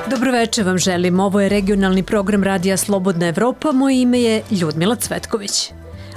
Dobroveče vam želim. Ovo je regionalni program Radija Slobodna Evropa. Moje ime je Ljudmila Cvetković.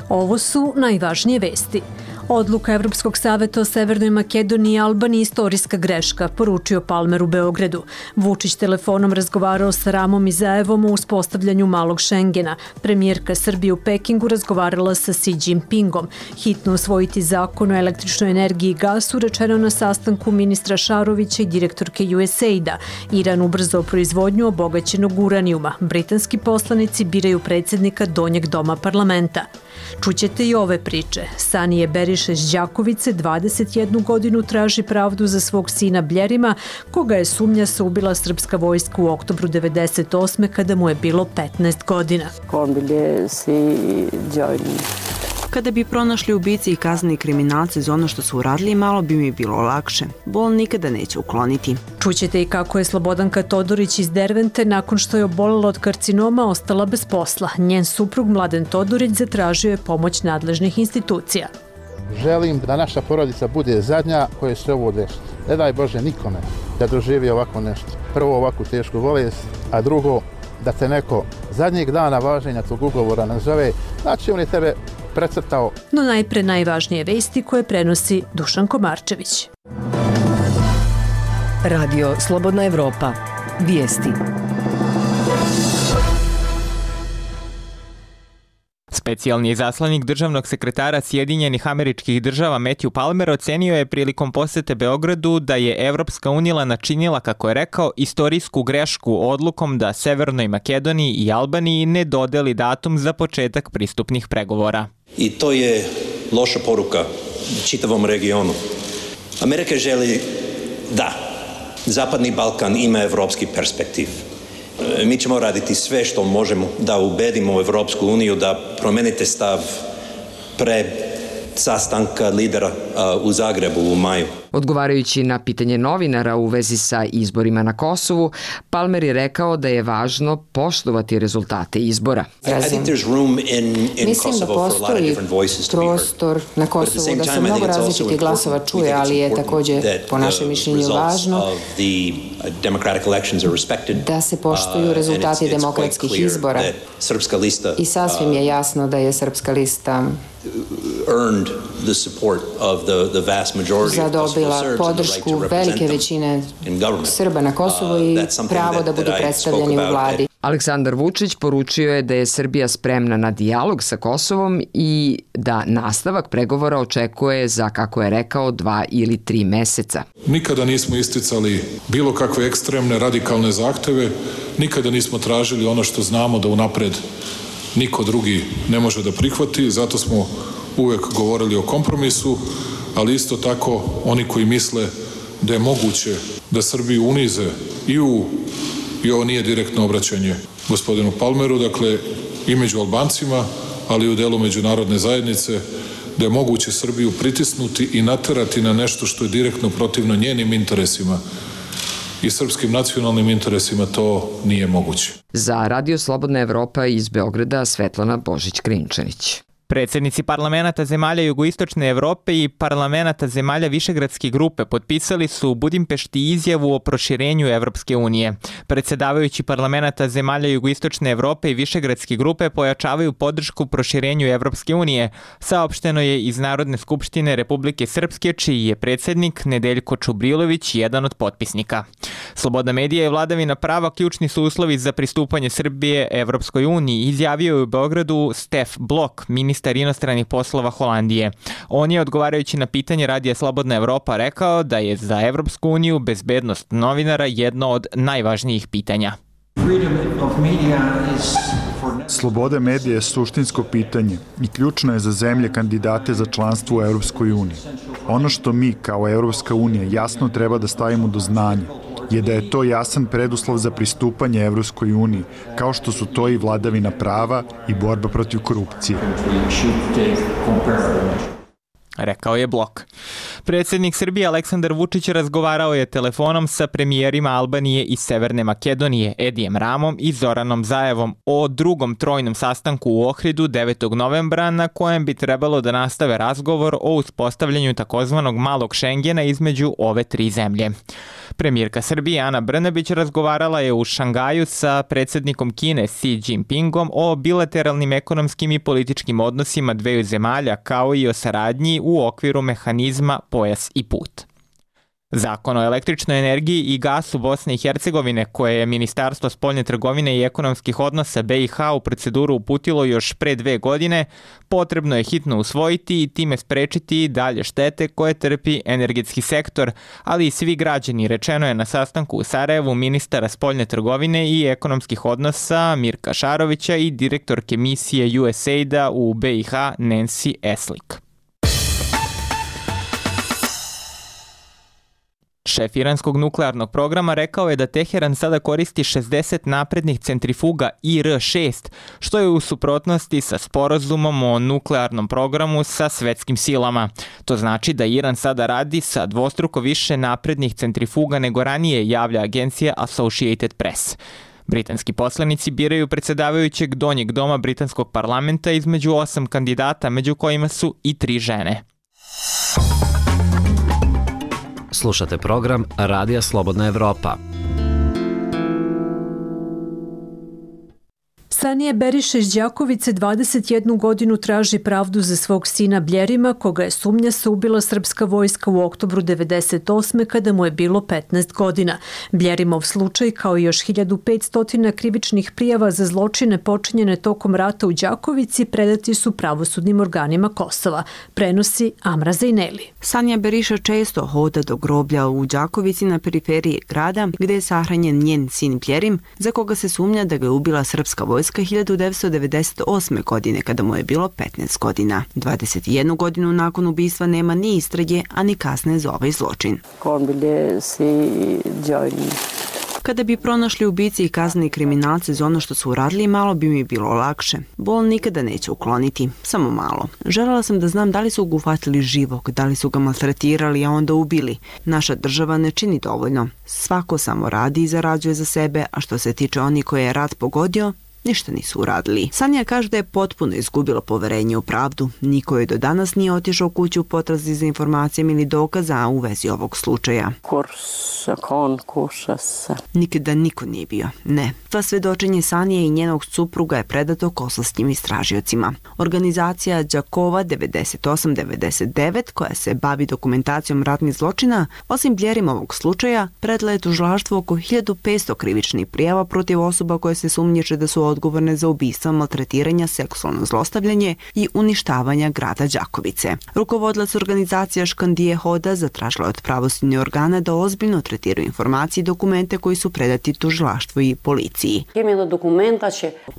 Ovo su najvažnije vesti. Odluka Evropskog saveta o Severnoj Makedoniji i Albaniji istorijska greška, poručio Palmer u Beogradu. Vučić telefonom razgovarao sa Ramom Izaevom o uspostavljanju malog Šengena. Premijerka Srbije u Pekingu razgovarala sa Xi Jinpingom. Hitno usvojiti zakon o električnoj energiji i gasu, rečeno na sastanku ministra Šarovića i direktorke USAID-a. Iran ubrzao proizvodnju obogaćenog uranijuma. Britanski poslanici biraju predsjednika Donjeg doma parlamenta. Čućete i ove priče. Sanije Beriše iz Đakovice 21 godinu traži pravdu za svog sina Bljerima, koga je sumnja se ubila srpska vojska u oktobru 98. kada mu je bilo 15 godina. Kada bi pronašli ubice i kazneni kriminalce za ono što su uradili, malo bi mi bilo lakše. Bol nikada neće ukloniti. Čućete i kako je Slobodanka Todorić iz Dervente nakon što je obolela od karcinoma ostala bez posla. Njen suprug Mladen Todorić zatražio je pomoć nadležnih institucija. Želim da naša porodica bude zadnja koja se ovo dešava. Ne daj Bože nikome da doživi ovako nešto. Prvo ovakvu tešku bolest, a drugo da te neko zadnjeg dana važenja tog ugovora nazove, znači on je tebe precrtao. No najpre najvažnije vesti koje prenosi Dušan Komarčević. Radio Slobodna Evropa. Vijesti. Specijalni izaslanik državnog sekretara Sjedinjenih Američkih Država Matthew Palmer ocenio je prilikom posete Beogradu da je Evropska unija načinila, kako je rekao, istorijsku grešku odlukom da Severnoj Makedoniji i Albaniji ne dodeli datum za početak pristupnih pregovora. I to je loša poruka čitavom regionu. Amerika želi da Zapadni Balkan ima evropski perspektiv. Mi ćemo raditi sve što možemo da ubedimo Evropsku uniju da promenite stav pre sastanka lidera u Zagrebu u maju. Odgovarajući na pitanje novinara u vezi sa izborima na Kosovu, Palmer je rekao da je važno poštovati rezultate izbora. Mislim da postoji prostor na Kosovu da se mnogo različitih glasova čuje, ali je također po našem mišljenju važno da se poštuju rezultati demokratskih izbora. I sasvim je jasno da je Srpska lista zadobila podršku velike većine Srba na Kosovu i pravo da budu predstavljeni u vladi. Aleksandar Vučić poručio je da je Srbija spremna na dijalog sa Kosovom i da nastavak pregovora očekuje za, kako je rekao, 2 ili 3 meseca. Nikada nismo isticali bilo kakve ekstremne, radikalne zahteve, nikada nismo tražili ono što znamo da unapred niko drugi ne može da prihvati, zato smo uvek govorili o kompromisu, ali isto tako oni koji misle da je moguće da Srbiju unize i ovo nije direktno obraćanje gospodinu Palmeru, dakle i među Albancima, ali i u delu međunarodne zajednice, da je moguće Srbiju pritisnuti i naterati na nešto što je direktno protivno njenim interesima i srpskim nacionalnim interesima, to nije moguće. Za Radio Slobodna Evropa iz Beograda Svetlana Božić-Krinčanić. Predsjednici parlamenata zemalja jugoistočne Evrope i parlamenata zemalja Višegradske grupe potpisali su u Budimpešti izjavu o proširenju Evropske unije. Predsjedavajući parlamenata zemalja jugoistočne Evrope i Višegradske grupe pojačavaju podršku proširenju Evropske unije, saopšteno je iz Narodne skupštine Republike Srpske, čiji je predsjednik Nedeljko Čubrilović jedan od potpisnika. Slobodna medija i vladavina prava ključni su uslovi za pristupanje Srbije Evropskoj uniji, izjavio je u Beogradu Stef Blok, ministar inostranih poslova Holandije. On je, odgovarajući na pitanje Radija Slobodna Evropa, rekao da je za Evropsku uniju bezbednost novinara jedno od najvažnijih pitanja. Sloboda medija je suštinsko pitanje i ključno je za zemlje kandidate za članstvo u Evropskoj uniji. Ono što mi kao Evropska unija jasno treba da stavimo do znanja je da je to jasan preduslov za pristupanje Evropskoj uniji, kao što su to i vladavina prava i borba protiv korupcije. rekao je Blok. Predsjednik Srbije Aleksandar Vučić razgovarao je telefonom sa premijerima Albanije i Severne Makedonije Edijem Ramom i Zoranom Zaevom o drugom trojnom sastanku u Ohridu 9. novembra na kojem bi trebalo da nastave razgovor o uspostavljanju takozvanog malog Šengena između ove tri zemlje. Premijerka Srbije Ana Brnabić razgovarala je u Šangaju sa predsjednikom Kine Xi Jinpingom o bilateralnim ekonomskim i političkim odnosima dveju zemalja kao i o saradnji u okviru mehanizma Pojas i put. Zakon o električnoj energiji i gasu Bosne i Hercegovine, koje je Ministarstvo spoljne trgovine i ekonomskih odnosa BiH u proceduru uputilo još pre 2 godine, potrebno je hitno usvojiti i time sprečiti dalje štete koje trpi energetski sektor, ali i svi građani, rečeno je na sastanku u Sarajevu ministara spoljne trgovine i ekonomskih odnosa Mirka Šarovića i direktorke misije USAID-a u BiH Nancy Eslik. Šef iranskog nuklearnog programa rekao je da Teheran sada koristi 60 naprednih centrifuga IR-6, što je u suprotnosti sa sporazumom o nuklearnom programu sa svetskim silama. To znači da Iran sada radi sa dvostruko više naprednih centrifuga nego ranije, javlja agencija Associated Press. Britanski poslanici biraju predsjedavajućeg donjeg doma britanskog parlamenta između 8 kandidata, među kojima su i 3 žene. Slušate program Radija Slobodna Evropa. Sanija Beriša iz Đakovice 21 godinu traži pravdu za svog sina Bljerima, koga je sumnja se ubila srpska vojska u oktobru 1998. kada mu je bilo 15 godina. Bljerimov slučaj, kao i još 1500 krivičnih prijava za zločine počinjene tokom rata u Đakovici, predati su pravosudnim organima Kosova. Prenosi Amra Zajneli. Sanija Beriša često hoda do groblja u Đakovici na periferiji grada, gde je sahranjen njen sin Bljerim, za koga se sumnja da ga je ubila srpska vojska 1998. godine kada mu je bilo 15 godina. 21 godinu nakon ubistva nema ni istrage, a ni kazne za ovaj zločin. Kada bi pronašli ubici i kazneni kriminalce za ono što su uradili, malo bi mi bilo lakše. Bol nikada neće ukloniti, samo malo. Želela sam da znam da li su ga uhvatili živog, da li su ga maltretirali, a onda ubili. Naša država ne čini dovoljno. Svako samo radi i zarađuje za sebe, a što se tiče onih koje je rat pogodio, ništa nisu uradili. Sanija kaže da je potpuno izgubila poverenje u pravdu. Niko je do danas nije otišao kuću u potrazi za informacijama ili dokaza u vezi ovog slučaja. Nikada niko nije bio. Ne. Sva svedočenje Sanije i njenog supruga je predato kosovskim istražiocima. Organizacija Đakova 9899, koja se bavi dokumentacijom ratnih zločina, osim Bljerimovog slučaja, predala je tužilaštvu oko 1500 krivičnih prijava protiv osoba koje se sumnjiče da su odgovorne za ubistva, maltretiranja, seksualno zlostavljanje i uništavanja grada Đakovice. Rukovodilac organizacija Škandije Hoda zatražila je od pravosudnih organa da ozbiljno tretiraju informacije i dokumente koji su predati tužilaštvu i policiji.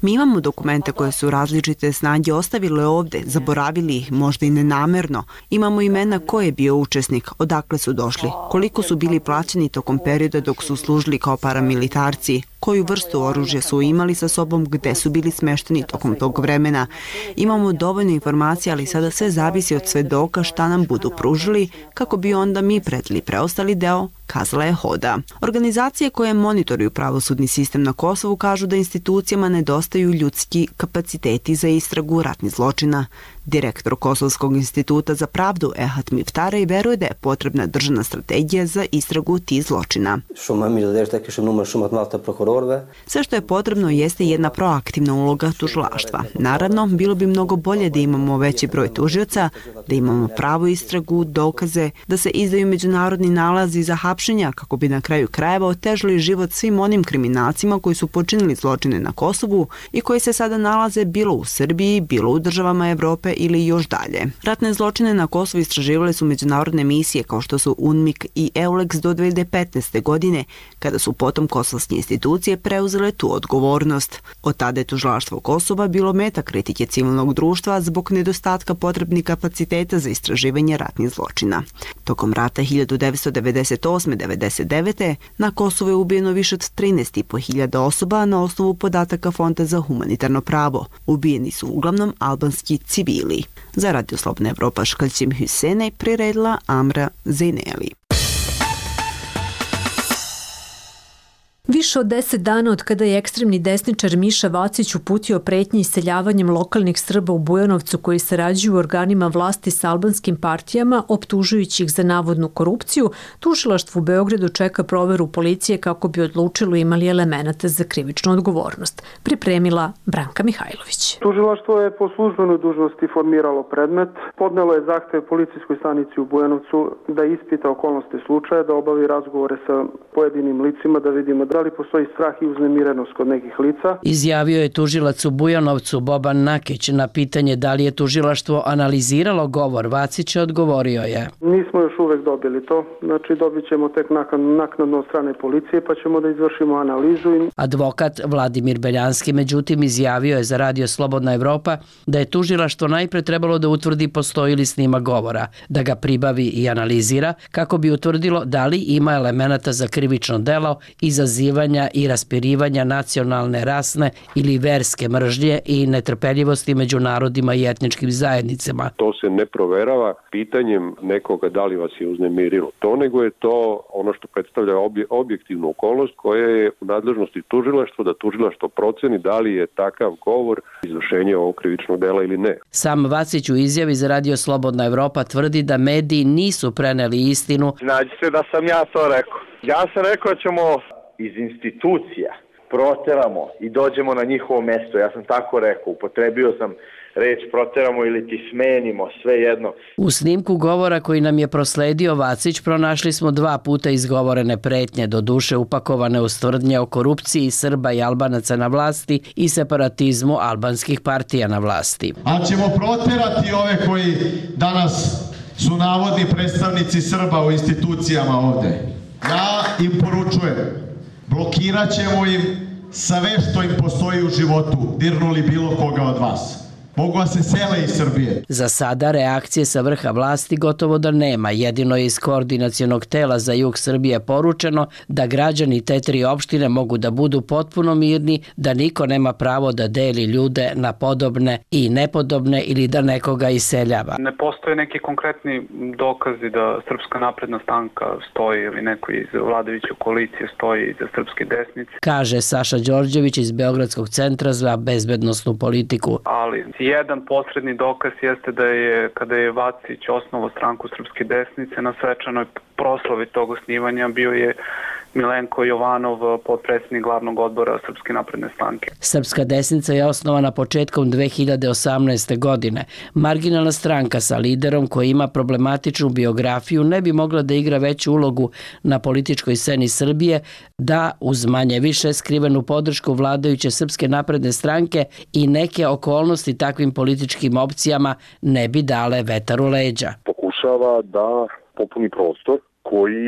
Mi imamo dokumente koje su različite snage ostavile ovde, zaboravili ih, možda i nenamerno. Imamo imena ko je bio učesnik, odakle su došli, koliko su bili plaćeni tokom perioda dok su služili kao paramilitarci, koju vrstu oružja su imali sa sobom, gde su bili smešteni tokom tog vremena. Imamo dovoljno informacija, ali sada sve zavisi od svedoka šta nam budu pružili, kako bi onda mi predali preostali deo, kazala je Hoda. Organizacije koje monitoruju pravosudni sistem na Kosovu kažu da institucijama nedostaju ljudski kapaciteti za istragu ratnih zločina. Direktor Kosovskog instituta za pravdu Ehat Miftarej veruje da je potrebna državna strategija za istragu tih zločina. Sve što je potrebno jeste jedna proaktivna uloga tužilaštva. Naravno, bilo bi mnogo bolje da imamo veći broj tužioca, da imamo pravu istragu, dokaze, da se izdaju međunarodni nalazi za hapšenja kako bi na kraju krajeva otežali život svim onim kriminalcima koji su počinili zločine na Kosovu i koji se sada nalaze bilo u Srbiji, bilo u državama Evrope ili još dalje. Ratne zločine na Kosovu istraživale su međunarodne misije kao što su UNMIK i EULEX do 2015. godine, kada su potom kosovske institucije preuzele tu odgovornost. Od tada je tužilaštvo Kosova bilo meta kritike civilnog društva zbog nedostatka potrebnih kapaciteta za istraživanje ratnih zločina. Tokom rata 1998. 1998-99. na Kosovu je ubijeno više od 13.500 osoba na osnovu podataka Fonda za humanitarno pravo. Ubijeni su uglavnom albanski civili. Za Radio Slobodna Evropa Škaljćim Hüsene priredila Amra Zejneli. Više od 10 dana od kada je ekstremni desničar Miša Vacić uputio pretnje iseljavanjem lokalnih Srba u Bujanovcu koji sarađuju u organima vlasti s albanskim partijama, optužujući ih za navodnu korupciju, tužilaštvo u Beogradu čeka proveru policije kako bi odlučilo imali elemenata za krivičnu odgovornost. Pripremila Branka Mihajlović. Tužilaštvo je po službenoj dužnosti formiralo predmet, podnelo je zahtev policijskoj stanici u Bujanovcu da ispita okolnosti slučaja, da obavi razgovore sa pojedinim licima, da vidimo da li postoji strah i uznemirenost kod nekih lica. Izjavio je tužilac u Bujanovcu Boban Nakić. Na pitanje da li je tužilaštvo analiziralo govor Vacića, odgovorio je: Nismo još uvek dobili to, znači dobit ćemo tek naknadno od strane policije pa ćemo da izvršimo analizu. Advokat Vladimir Beljanski međutim izjavio je za Radio Slobodna Evropa da je tužilaštvo najpre trebalo da utvrdi postoji li snima govora, da ga pribavi i analizira kako bi utvrdilo da li ima elemenata za krivično delo izazivanja i raspirivanja nacionalne, rasne ili verske mržnje i netrpeljivosti među narodima i etničkim zajednicama. To se ne proverava pitanjem nekoga da li vas je uznemirilo to, nego je to ono što predstavlja objektivnu okolnost koja je u nadležnosti tužilaštva, da tužilaštvo proceni da li je takav govor izvršenje ovog krivičnog dela ili ne. Sam Vacić u izjavi za Radio Slobodna Evropa tvrdi da mediji nisu preneli istinu. Nađi se da sam ja to rekao. Ja sam rekao da ćemo iz institucija proteramo i dođemo na njihovo mesto. Ja sam tako rekao, upotrebio sam reč proteramo ili ti smenimo, sve jedno. U snimku govora koji nam je prosledio Vacić pronašli smo 2 puta izgovorene pretnje, doduše upakovane u tvrdnje o korupciji Srba i Albanaca na vlasti i separatizmu albanskih partija na vlasti. Ali ćemo proterati ove koji danas su navodni predstavnici Srba u institucijama ovde. Ja im poručujem, blokirat ćemo im sve što im postoji u životu, dirnuli bilo koga od vas. Mogu se sele iz Srbije. Za sada reakcije sa vrha vlasti gotovo da nema. Jedino je iz koordinacionog tela za jug Srbije poručeno da građani te 3 opštine mogu da budu potpuno mirni, da niko nema pravo da deli ljude na podobne i nepodobne ili da nekoga iseljava. Ne postoje neki konkretni dokazi da Srpska napredna stranka stoji ili neko iz vladajuće koalicije stoji iza srpske desnice, kaže Saša Đorđević iz Beogradskog centra za bezbednosnu politiku. Ali jedan posredni dokaz jeste da je, kada je Vacić osnovao stranku Srpske desnice, na svečanoj proslavi tog osnivanja bio je Milenko Jovanov, potpredsjednik glavnog odbora Srpske napredne stranke. Srpska desnica je osnovana početkom 2018. godine. Marginalna stranka sa liderom koji ima problematičnu biografiju ne bi mogla da igra veću ulogu na političkoj sceni Srbije da uz manje više skrivenu podršku vladajuće Srpske napredne stranke i neke okolnosti takvim političkim opcijama ne bi dale vetar u leđa. Pokušava da popuni prostor koji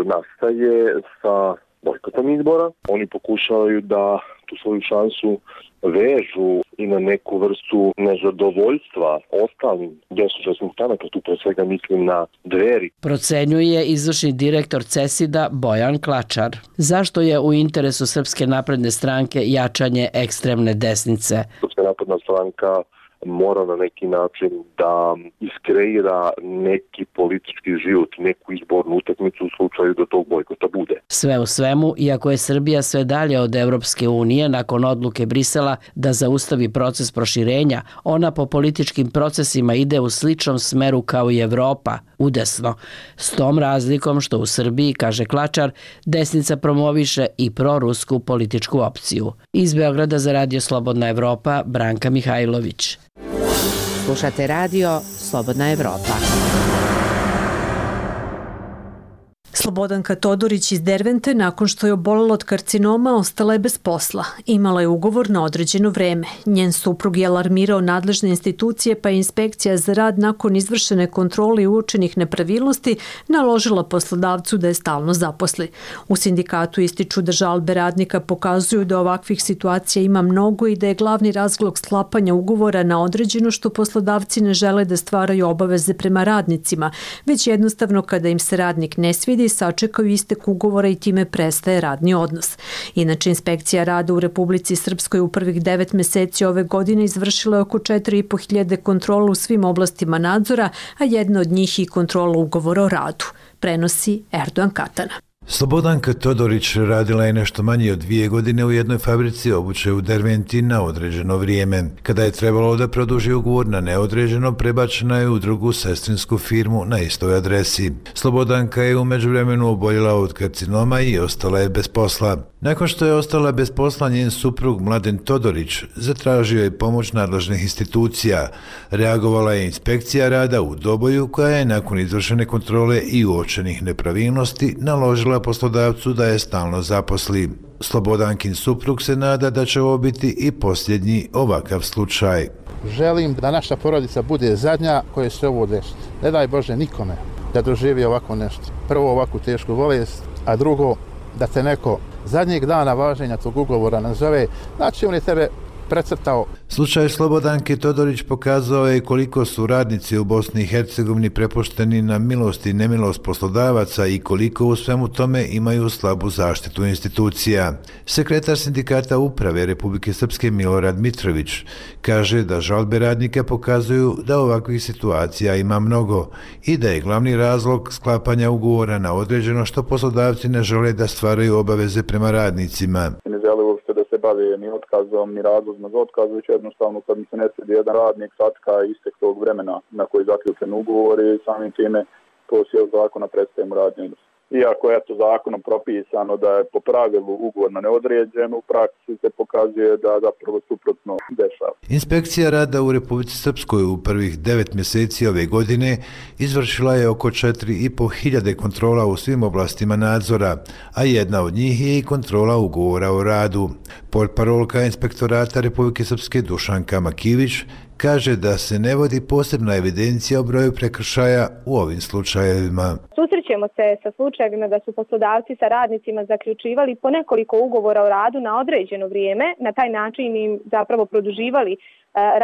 nastaje sa bojkotom izbora. Oni pokušavaju da tu svoju šansu vežu i na neku vrstu nezadovoljstva ostalim desničarskim stranaka, tu pre svega mislim na Dveri. Procenjuje izvršni direktor CESID-a Bojan Klačar. Zašto je u interesu Srpske napredne stranke jačanje ekstremne desnice? Srpska napredna stranka mora na neki način da iskreira neki politički život, neku izbornu utakmicu u slučaju da tog bojkota bude. Sve u svemu, iako je Srbija sve dalje od Evropske unije nakon odluke Brisela da zaustavi proces proširenja, ona po političkim procesima ide u sličnom smeru kao i Evropa, udesno. S tom razlikom što u Srbiji, kaže Klačar, desnica promoviše i prorusku političku opciju. Iz Beograda za Radio Slobodna Evropa, Branka Mihajlović. Slušate Radio Slobodna Evropa. Slobodanka Todorić iz Dervente, nakon što je obolela od karcinoma, ostala je bez posla. Imala je ugovor na određeno vreme. Njen suprug je alarmirao nadležne institucije, pa je inspekcija za rad nakon izvršene kontrole i uočenih nepravilnosti naložila poslodavcu da je stalno zaposli. U sindikatu ističu da žalbe radnika pokazuju da ovakvih situacija ima mnogo i da je glavni razlog sklapanja ugovora na određeno što poslodavci ne žele da stvaraju obaveze prema radnicima, već jednostavno kada im se radnik ne svidi, prekide i sačekaju istek ugovora i time prestaje radni odnos. Inače, inspekcija rada u Republici Srpskoj u prvih 9 meseci ove godine izvršila je oko 4.500 kontrola u svim oblastima nadzora, a jedna od njih i kontrola ugovora o radu, prenosi Erdogan Katana. Slobodanka Todorić radila je nešto manje od 2 godine u jednoj fabrici obuće u Derventi na određeno vrijeme. Kada je trebalo da produži ugovor na neodređeno, prebačena je u drugu sestrinsku firmu na istoj adresi. Slobodanka je u međuvremenu oboljela od karcinoma i ostala je bez posla. Nakon što je ostala bez posla, njen suprug Mladen Todorić zatražio je pomoć nadležnih institucija. Reagovala je inspekcija rada u Doboju, koja je nakon izvršene kontrole i uočenih nepravilnosti naložila poslodavcu da je stalno zaposli. Slobodankin suprug se nada da će ovo biti i posljednji ovakav slučaj. Želim da naša porodica bude zadnja koja se ovo desi. Ne daj Bože nikome da doživi ovako nešto. Prvo ovakvu tešku bolest, a drugo da te neko zadnjeg dana važenja tog ugovora nazove, znači on je tebe precrtao. Slučaj Slobodanke Todorić pokazao je koliko su radnici u Bosni i Hercegovini prepušteni na milost i nemilost poslodavaca i koliko u svemu tome imaju slabu zaštitu institucija. Sekretar sindikata uprave Republike Srpske Milorad Mitrović kaže da žalbe radnika pokazuju da ovakvih situacija ima mnogo i da je glavni razlog sklapanja ugovora na određeno što poslodavci ne žele da stvaraju obaveze prema radnicima. Ne žele uopšte da se bave ni otkazom, ni razlozima za otkaz, već jednostavno kad mi se ne svidi jedan radnik sačka istek tog vremena na koji je zaključen ugovor i samim time to sjel zakona prestaje mu radni odnos. Iako je to zakonom propisano da je po pravilu ugovor na neodređeno, u praksi se pokazuje da zapravo suprotno dešava. Inspekcija rada u Republici Srpskoj u prvih 9 mjeseci ove godine izvršila je oko 4.500 kontrola u svim oblastima nadzora, a jedna od njih je i kontrola ugovora o radu. Portparolka Inspektorata Republike Srpske Dušanka Makivić kaže da se ne vodi posebna evidencija o broju prekršaja u ovim slučajevima. Susrećemo se sa slučajevima da su poslodavci sa radnicima zaključivali po nekoliko ugovora o radu na određeno vrijeme, na taj način im zapravo produživali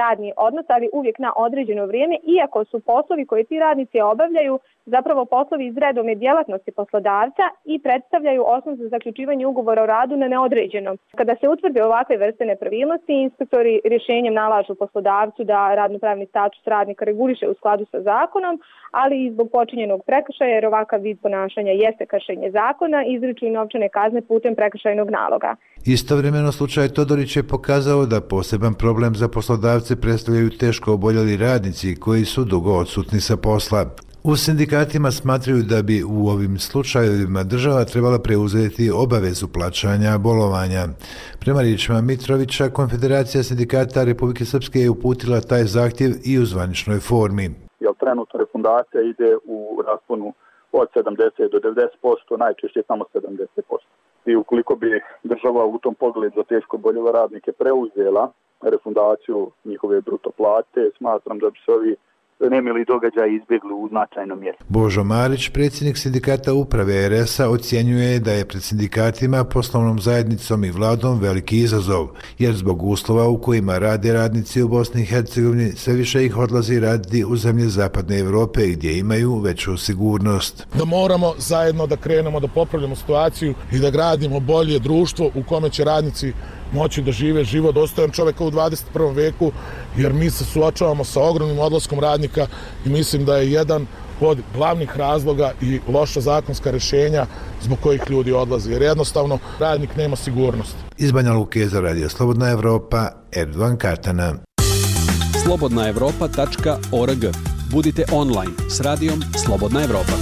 radni odnos, ali uvijek na određeno vrijeme, iako su poslovi koje ti radnici obavljaju zapravo poslovi iz redovne djelatnosti poslodavca i predstavljaju osnov za zaključivanje ugovora o radu na neodređeno. Kada se utvrde ovakve vrste nepravilnosti, inspektori rješenjem nalažu poslodavcu da radnopravni status radnika reguliše u skladu sa zakonom, ali i zbog počinjenog prekršaja, jer ovakav vid ponašanja jeste kršenje zakona, izriču i novčane kazne putem prekršajnog naloga. Istovremeno slučaj Todorić je pokazao da poseban problem za poslodavce predstavljaju teško oboljeli radnici koji su dugo odsutni sa posla. U sindikatima smatraju da bi u ovim slučajevima država trebala preuzeti obavezu plaćanja bolovanja. Prema riječima Mitrovića, Konfederacija sindikata Republike Srpske je uputila taj zahtjev i u zvaničnoj formi. Jer trenutno refundacija ide u rasponu od 70 do 90%, najčešće samo 70%. I ukoliko bi država u tom pogledu za teško oboljele radnike preuzela refundaciju njihove bruto plate, smatram da bi se ovi nemili događaj izbjegli u značajnom mjeru. Božo Marić, predsjednik sindikata uprave RS-a, ocjenjuje da je pred sindikatima, poslovnom zajednicom i vladom veliki izazov, jer zbog uslova u kojima rade radnici u Bosni i Hercegovini sve više ih odlazi raditi u zemlje Zapadne Evrope gdje imaju veću sigurnost. Da moramo zajedno da krenemo da popravljamo situaciju i da gradimo bolje društvo u kome će radnici moći da žive život dostojan čoveka u 21. veku, jer mi se suočavamo sa ogromnim odlaskom radnika i mislim da je jedan od glavnih razloga i loša zakonska rješenja zbog kojih ljudi odlaze, jer jednostavno radnik nema sigurnost. Iz Banja Luke za Radio Slobodna Evropa, Erdogan Katana. slobodnaevropa.org. Budite online s radijom Slobodna Evropa.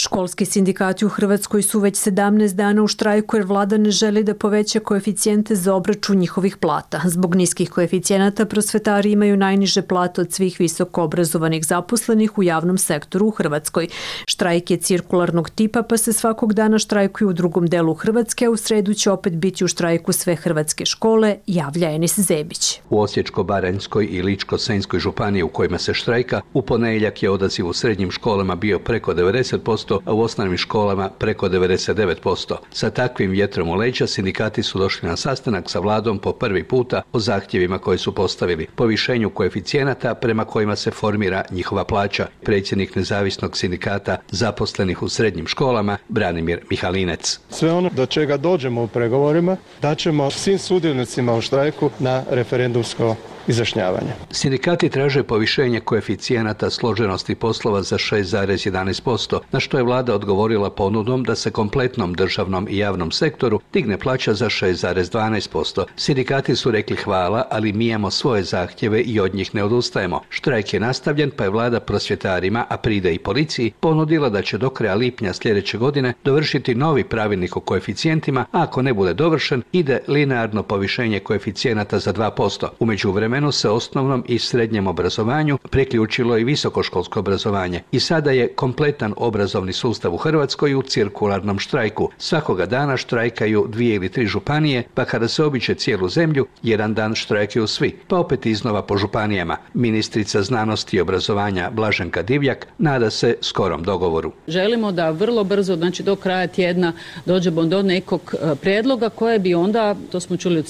Školski sindikati u Hrvatskoj su već 17 dana u štrajku jer vlada ne želi da poveća koeficijente za obračun njihovih plata. Zbog niskih koeficijenata prosvetari imaju najniže plate od svih visoko obrazovanih zaposlenih u javnom sektoru u Hrvatskoj. Štrajk je cirkularnog tipa pa se svakog dana štrajkuju u drugom delu Hrvatske, a u sredu će opet biti u štrajku sve hrvatske škole, javlja Enis Zebić. U Osječko-baranjskoj i Ličko-senjskoj županiji u kojima se štrajka, u ponedjeljak je odaziv u srednjim školama bio preko 90%, 90%, a u osnovnim školama preko 99%. Sa takvim vjetrom u leđa sindikati su došli na sastanak sa vladom po prvi puta o zahtjevima koje su postavili, povišenju koeficijenata prema kojima se formira njihova plaća. Predsjednik nezavisnog sindikata zaposlenih u srednjim školama, Branimir Mihalinec. Sve ono do čega dođemo u pregovorima, daćemo svim sudionicima u štrajku na referendumsko izjašnjavanje. Sindikati traže povišenje koeficijenata složenosti poslova za 6,11%, na što je vlada odgovorila ponudom da se kompletnom državnom i javnom sektoru digne plaća za 6,12%. Sindikati su rekli hvala, ali mi imamo svoje zahtjeve i od njih ne odustajemo. Štrajk je nastavljen, pa je vlada prosvjetarima, a pride i policiji, ponudila da će do kraja lipnja sljedeće godine dovršiti novi pravilnik o koeficijentima, a ako ne bude dovršen, ide linearno povišenje koeficijenata za 2%. U međuvremenu se osnovnom i srednjem obrazovanju priključilo i visokoškolsko obrazovanje i sada je kompletan obrazovni sustav u Hrvatskoj u cirkularnom štrajku. Svakoga dana štrajkaju 2 ili 3 županije, pa kada se običe cijelu zemlju, jedan dan štrajkaju svi, pa opet iznova po županijama. Ministrica znanosti i obrazovanja Blaženka Divjak nada se skorom dogovoru. Želimo da vrlo brzo, znači do kraja tjedna, dođemo do nekog prijedloga koje bi onda, to smo čuli od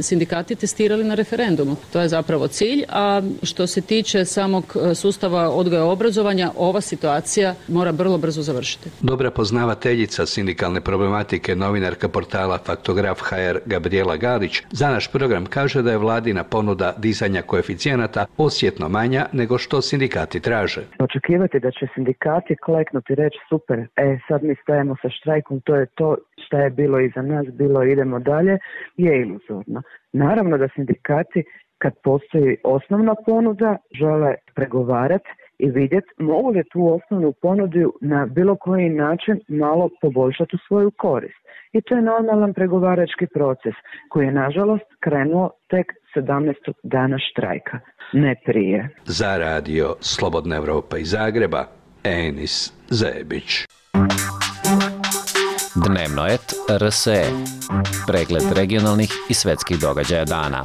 sindikati testirali na referendumu. To je zapravo cilj, a što se tiče samog sustava odgoja i obrazovanja, ova situacija mora vrlo brzo završiti. Dobra poznavateljica sindikalne problematike, novinarka portala Faktograf HR Gabriela Galić za naš program kaže da je vladina ponuda dizanja koeficijenata osjetno manja nego što sindikati traže. Očekivati da će sindikati kleknuti i reći super, sad mi stajemo sa štrajkom, to je to, šta je bilo iza nas, bilo idemo dalje, je iluzorno. Naravno da sindikati kad postoji osnovna ponuda, žele pregovarati i vidjeti mogu li tu osnovnu ponudu na bilo koji način malo poboljšati u svoju korist. I to je normalan pregovarački proces koji je nažalost krenuo tek 17. dana štrajka, ne prije. Za radio Slobodna Evropa iz Zagreba, Enis Zebić. Dnevnoet RSE. Pregled regionalnih i svetskih događaja dana.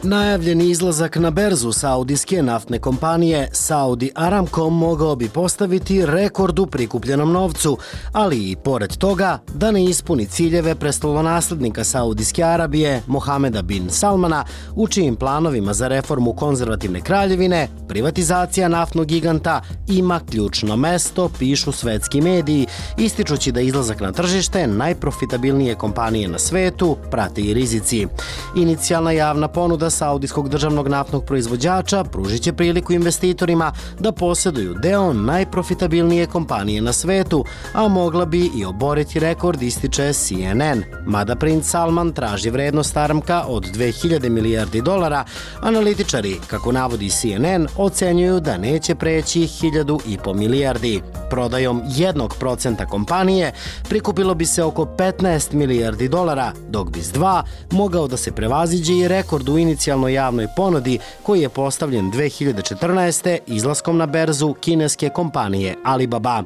Najavljeni izlazak na berzu saudijske naftne kompanije Saudi Aramco mogao bi postaviti rekord u prikupljenom novcu, ali i pored toga da ne ispuni ciljeve prestolonaslednika Saudijske Arabije Mohameda bin Salmana, u čijim planovima za reformu konzervativne kraljevine privatizacija naftnog giganta ima ključno mesto, pišu svetski mediji, ističući da izlazak na tržište najprofitabilnije kompanije na svetu prate i rizici. Inicijalna javna ponuda saudijskog državnog naftnog proizvođača pružit će priliku investitorima da posjeduju deo najprofitabilnije kompanije na svetu, a mogla bi i oboriti rekord, ističe CNN. Mada princ Salman traži vrednost Aramca od 2000 milijardi dolara, analitičari, kako navodi CNN, ocenjuju da neće preći 1.500 milijardi. Prodajom 1% kompanije prikupilo bi se oko 15 milijardi dolara, dok bi s 2 mogao da se prevaziđe i rekord u inicijalnoj javnoj ponudi koji je postavljen 2014. izlaskom na berzu kineske kompanije Alibaba.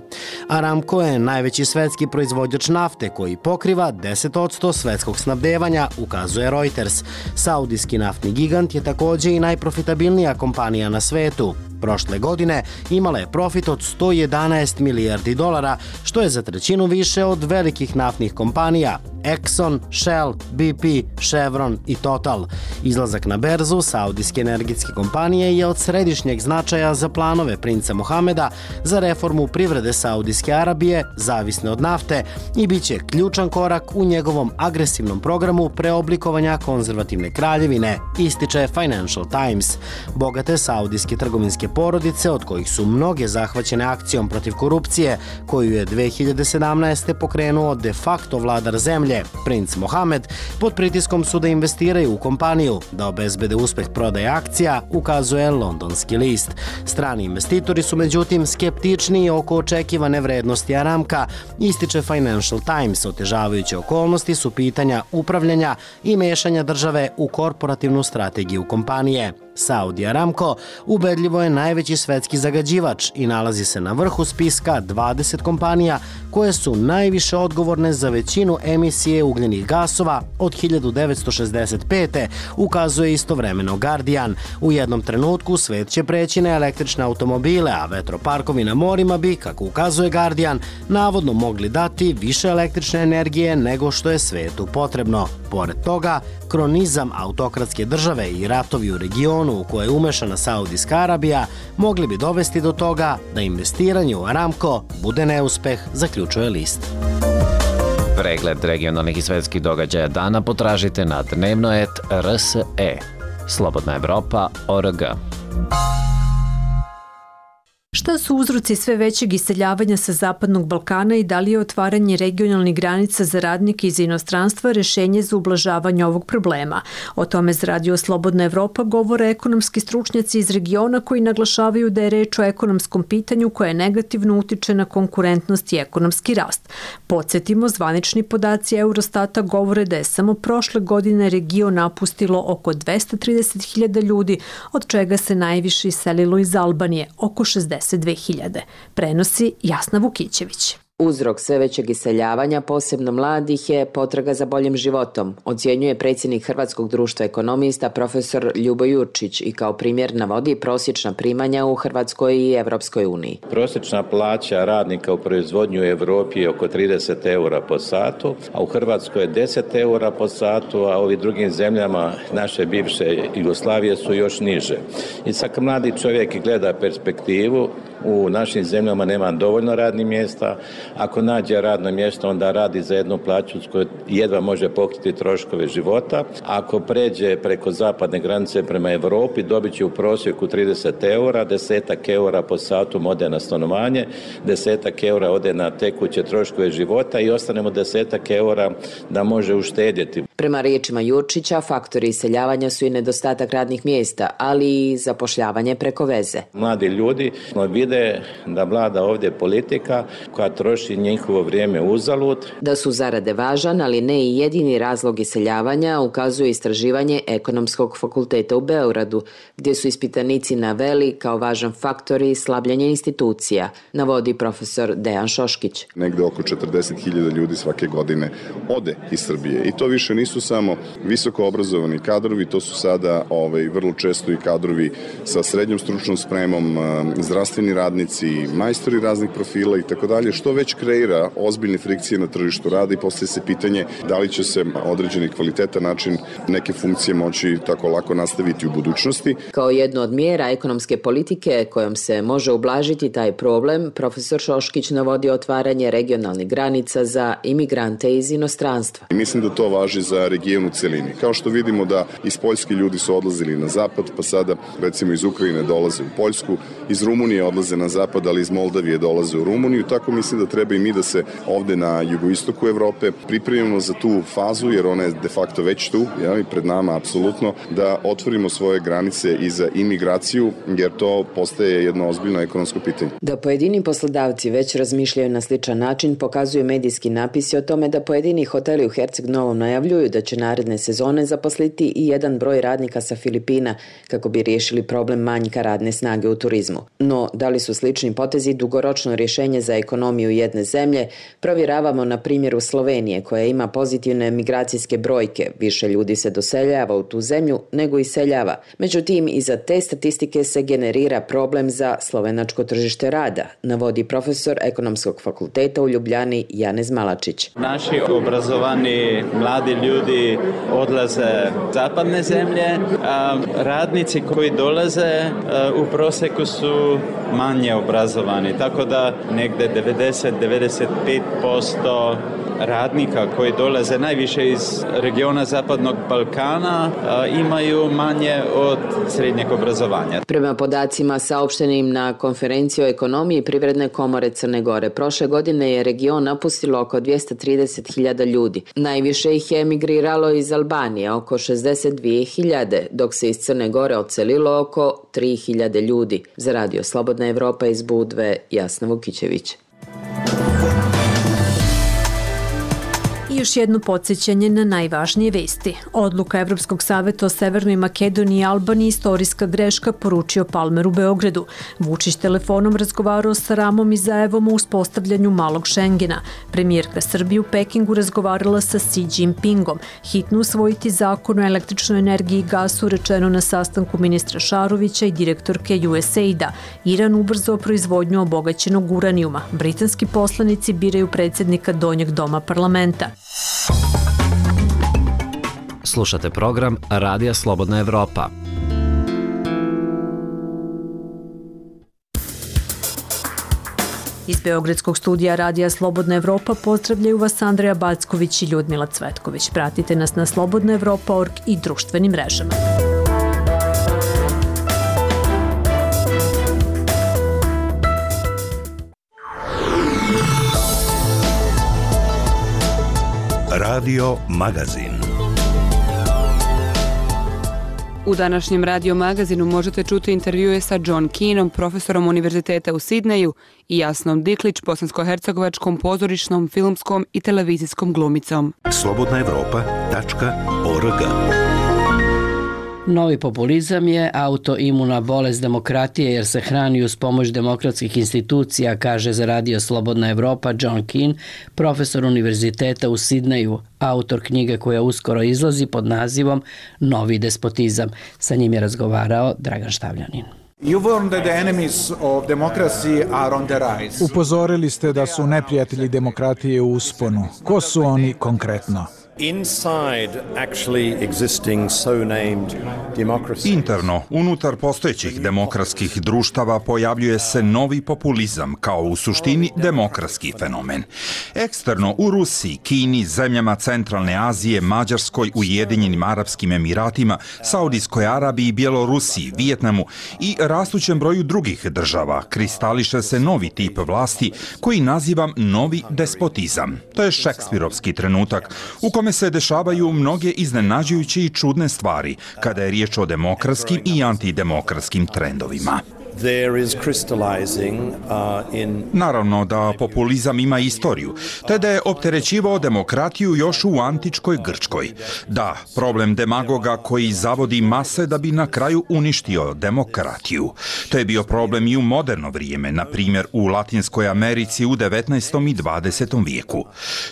Aramco je najveći svetski proizvođač nafte koji pokriva 10% svetskog snabdevanja, ukazuje Reuters. Saudijski naftni gigant je također i najprofitabilnija kompanija na svetu. Prošle godine imala je profit od 111 milijardi dolara, što je za trećinu više od velikih naftnih kompanija Exxon, Shell, BP, Chevron i Total. Izlazak na berzu saudijske energetske kompanije je od središnjeg značaja za planove princa Mohameda za reformu privrede Saudijske Arabije, zavisne od nafte, i bit će ključan korak u njegovom agresivnom programu preoblikovanja konzervativne kraljevine, ističe Financial Times. Bogate saudijske trgovinske porodice, od kojih su mnoge zahvaćene akcijom protiv korupcije, koju je 2017. pokrenuo de facto vladar zemlje, princ Mohamed, pod pritiskom su da investiraju u kompaniju, da obezbede uspeh prodaje akcija, ukazuje londonski list. Strani investitori su međutim skeptičniji oko očekivane vrednosti Aramca, ističe Financial Times. Otežavajuće okolnosti su pitanja upravljanja i mešanja države u korporativnu strategiju kompanije. Saudi Aramco ubedljivo je najveći svetski zagađivač i nalazi se na vrhu spiska 20 kompanija koje su najviše odgovorne za većinu emisije ugljenih gasova od 1965. ukazuje istovremeno Guardian. U jednom trenutku svet će preći na električne automobile, a vetroparkovi na morima bi, kako ukazuje Guardian, navodno mogli dati više električne energije nego što je svetu potrebno. Pored toga, kronizam autokratske države i ratovi u regionu u koje je umešana Saudijska Arabija mogli bi dovesti do toga da investiranje u Aramco bude neuspeh, zaključuje list. Pregled regionalnih i svetskih događaja dana potražite na dnevno.rs.e. Slobodna Evropa.org. Šta su uzroci sve većeg iseljavanja sa Zapadnog Balkana i da li je otvaranje regionalnih granica za radnike iz inostranstva rešenje za ublažavanje ovog problema? O tome za Radio Slobodna Evropa govore ekonomski stručnjaci iz regiona koji naglašavaju da je reč o ekonomskom pitanju koje negativno utiče na konkurentnost i ekonomski rast. Podsjetimo, zvanični podaci Eurostata govore da je samo prošle godine region napustilo oko 230.000 ljudi, od čega se najviše iselilo iz Albanije, oko 62.000. Prenosi Jasna Vukićević. Uzrok sve većeg iseljavanja, posebno mladih, je potraga za boljim životom, ocjenjuje predsjednik Hrvatskog društva ekonomista profesor Ljubo Jurčić i kao primjer navodi prosječna primanja u Hrvatskoj i Evropskoj uniji. Prosječna plaća radnika u proizvodnju u Europi je oko 30 eura po satu, a u Hrvatskoj je 10 eura po satu, a u ovim drugim zemljama naše bivše Jugoslavije su još niže. I sad mladi čovjek gleda perspektivu, u našim zemljama nema dovoljno radnih mjesta. Ako nađe radno mjesto, onda radi za jednu plaću s kojoj jedva može pokriti troškove života. Ako pređe preko zapadne granice prema Europi, dobit će u prosjeku 30 eura, 10 eura po satu ode na stanovanje, 10 eura ode na tekuće troškove života i ostanemo 10 eura da može uštedjeti. Prema riječima Jurčića, faktori iseljavanja su i nedostatak radnih mjesta, ali i zapošljavanje preko veze. Mladi ljudi vide da vlada ovdje politika koja troši njihovo vrijeme uzalud. Da su zarade važan, ali ne i jedini razlog iseljavanja, ukazuje istraživanje Ekonomskog fakulteta u Beogradu, gdje su ispitanici naveli kao važan faktor i slabljenje institucija, navodi profesor Dejan Šoškić. Negde oko 40.000 ljudi svake godine ode iz Srbije i to više nisu samo visoko obrazovani kadrovi, to su sada vrlo često i kadrovi sa srednjom stručnom spremom, zdravstveni radnici, majstori raznih profila i tako dalje, što već kreira ozbiljne frikcije na tržištu rada i postaje se pitanje da li će se određeni kvalitetan način neke funkcije moći tako lako nastaviti u budućnosti. Kao jednu od mjera ekonomske politike kojom se može ublažiti taj problem, profesor Šoškić navodi otvaranje regionalnih granica za imigrante iz inostranstva. I mislim da to važi za region u celini. Kao što vidimo da iz Poljske ljudi su odlazili na zapad, pa sada recimo iz Ukrajine dolaze u Poljsku, iz Rumunije odlaze na zapad, ali iz Moldavije dolaze u Rumuniju. Tako mislim da treba i mi da se ovde na jugoistoku Evrope pripremimo za tu fazu, jer ona je de facto već tu, i pred nama apsolutno, da otvorimo svoje granice i za imigraciju, jer to postaje jedno ozbiljno ekonomsko pitanje. Da pojedini poslodavci već razmišljaju na sličan način, pokazuju medijski napisi o tome da pojedini hoteli u Herceg Novom najavljuju da će naredne sezone zaposliti i jedan broj radnika sa Filipina kako bi riješili problem manjka radne snage u turizmu. No, da li su slični potezi dugoročno rješenje za ekonomiju jedne zemlje, provjeravamo na primjeru Slovenije koja ima pozitivne migracijske brojke. Više ljudi se doseljava u tu zemlju nego iseljava. Međutim, iza te statistike se generira problem za slovenačko tržište rada, navodi profesor Ekonomskog fakulteta u Ljubljani Janez Malačić. Naši obrazovani mladi ljudi odlaze u zapadne zemlje, a radnici koji dolaze u prosjeku su manje obrazovani, tako da negde 90-95% radnika koji dolaze najviše iz regiona Zapadnog Balkana imaju manje od srednjeg obrazovanja. Prema podacima saopštenim na konferenciji o ekonomiji Privredne komore Crne Gore, prošle godine je region napustilo oko 230.000 ljudi. Najviše ih je emigriralo iz Albanije, oko 62.000, dok se iz Crne Gore odselilo oko 3.000 ljudi. Za Radio Slobodna Evropa iz Budve, Jasna Vukićević. još jedno podsjećanje na najvažnije vesti. Odluka Evropskog saveta o Severnoj Makedoniji i Albaniji istorijska greška, poručio Palmer u Beogradu. Vučić telefonom razgovarao sa Ramom i Zaevom o uspostavljanju malog Šengena. Premijerka Srbije u Pekingu razgovarala sa Xi Jinpingom. Hitno usvojiti zakon o električnoj energiji i gasu, rečeno na sastanku ministra Šarovića i direktorke USAID-a. Iran ubrzao proizvodnju obogaćenog uranijuma. Britanski poslanici biraju predsjednika Donjeg doma parlamenta. Slušate program Radija Slobodna Evropa. Iz Beogradskog studija Radija Slobodna Evropa pozdravljaju vas Andreja Backović i Ljudmila Cvetković. Pratite nas na slobodnaevropa.org i društvenim mrežama. Radio Magazin. U današnjem Radio Magazinu možete čuti intervjue sa John Keenom, profesorom univerziteta u Sidneju, i Jasnom Diklić, bosansko-hercegovačkom pozorišnom, filmskom i televizijskom glumicom. slobodnaevropa.org. Novi populizam je autoimuna bolest demokratije jer se hrani uz pomoć demokratskih institucija, kaže za Radio Slobodna Evropa John Keane, profesor univerziteta u Sidneju, autor knjige koja uskoro izlazi pod nazivom Novi despotizam. Sa njim je razgovarao Dragan Štavljanin. Upozorili ste da su neprijatelji demokratije u usponu. Ko su oni konkretno? Interno, unutar postojećih demokratskih društava pojavljuje se novi populizam kao u suštini demokratski fenomen. Eksterno, u Rusiji, Kini, zemljama Centralne Azije, Mađarskoj, Ujedinjenim Arapskim Emiratima, Saudijskoj Arabiji, Bjelorusiji, Vijetnamu i rastućem broju drugih država kristališe se novi tip vlasti koji nazivam novi despotizam. To je šekspirovski trenutak u kome se dešavaju mnoge iznenađujuće i čudne stvari kada je riječ o demokratskim i antidemokratskim trendovima. Naravno da populizam ima istoriju, te da je opterećivao demokratiju još u antičkoj Grčkoj. Da, problem demagoga koji zavodi mase da bi na kraju uništio demokratiju. To je bio problem i u moderno vrijeme, na primjer u Latinskoj Americi u 19. i 20. vijeku.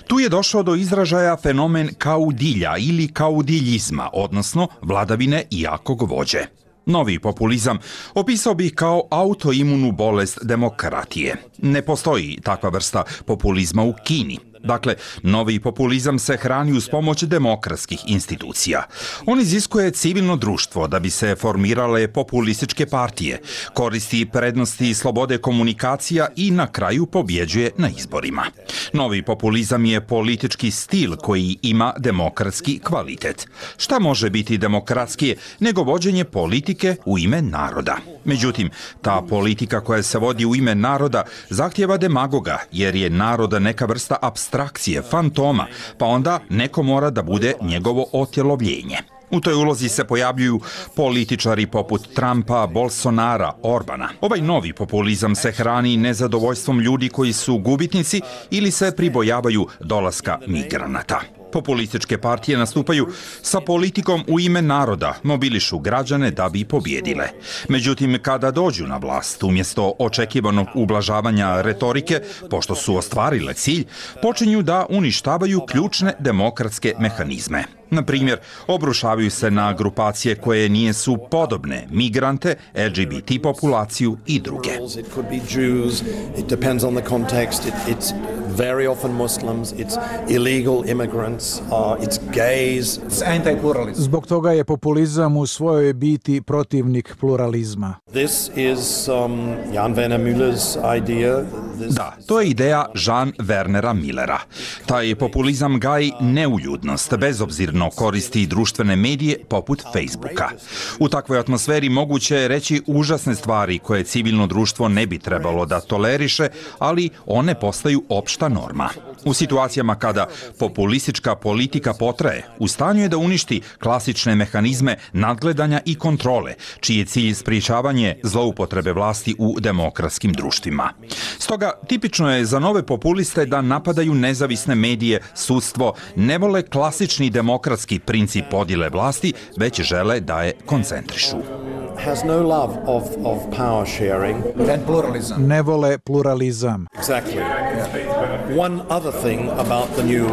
Tu je došao do izražaja fenomen kaudilja ili kaudiljizma, odnosno vladavine jakog vođe. Novi populizam opisao bih kao autoimunu bolest demokratije. Ne postoji takva vrsta populizma u Kini. Dakle, novi populizam se hrani uz pomoć demokratskih institucija. On iziskuje civilno društvo da bi se formirale populističke partije, koristi prednosti slobode komunikacija i na kraju pobjeđuje na izborima. Novi populizam je politički stil koji ima demokratski kvalitet. Šta može biti demokratskije nego vođenje politike u ime naroda? Međutim, ta politika koja se vodi u ime naroda zahtjeva demagoga, jer je narod neka vrsta apstrakcije, fantoma, pa onda neko mora da bude njegovo otjelovljenje. U toj ulozi se pojavljuju političari poput Trumpa, Bolsonara, Orbana. Ovaj novi populizam se hrani nezadovoljstvom ljudi koji su gubitnici ili se pribojavaju dolaska migranata. Populističke partije nastupaju sa politikom u ime naroda, mobilišu građane da bi pobjedile. Međutim, kada dođu na vlast, umjesto očekivanog ublažavanja retorike, pošto su ostvarile cilj, počinju da uništavaju ključne demokratske mehanizme. Na primjer, obrušavaju se na grupacije koje nisu podobne, migrante, LGBT populaciju i druge. Very often Muslims, it's illegal immigrants, it's gays. Zbog toga je populizam u svojoj biti protivnik pluralizma. This is Jan Werner Müller's idea. Da, to je ideja Jean Wernera Millera. Taj populizam gaji neuljudnost, bezobzirno koristi društvene medije poput Facebooka. U takvoj atmosferi moguće je reći užasne stvari koje civilno društvo ne bi trebalo da toleriše, ali one postaju opšta norma. U situacijama kada populistička politika potraje, u stanju je da uništi klasične mehanizme nadgledanja i kontrole, čiji je cilj sprječavanje zloupotrebe vlasti u demokratskim društvima. Stoga Stoga tipično je za nove populiste da napadaju nezavisne medije, sudstvo, ne vole klasični demokratski princip podjele vlasti, već žele da je koncentrišu. Has no love of power sharing and pluralism. Ne vole pluralizam. Exactly. One other thing about the new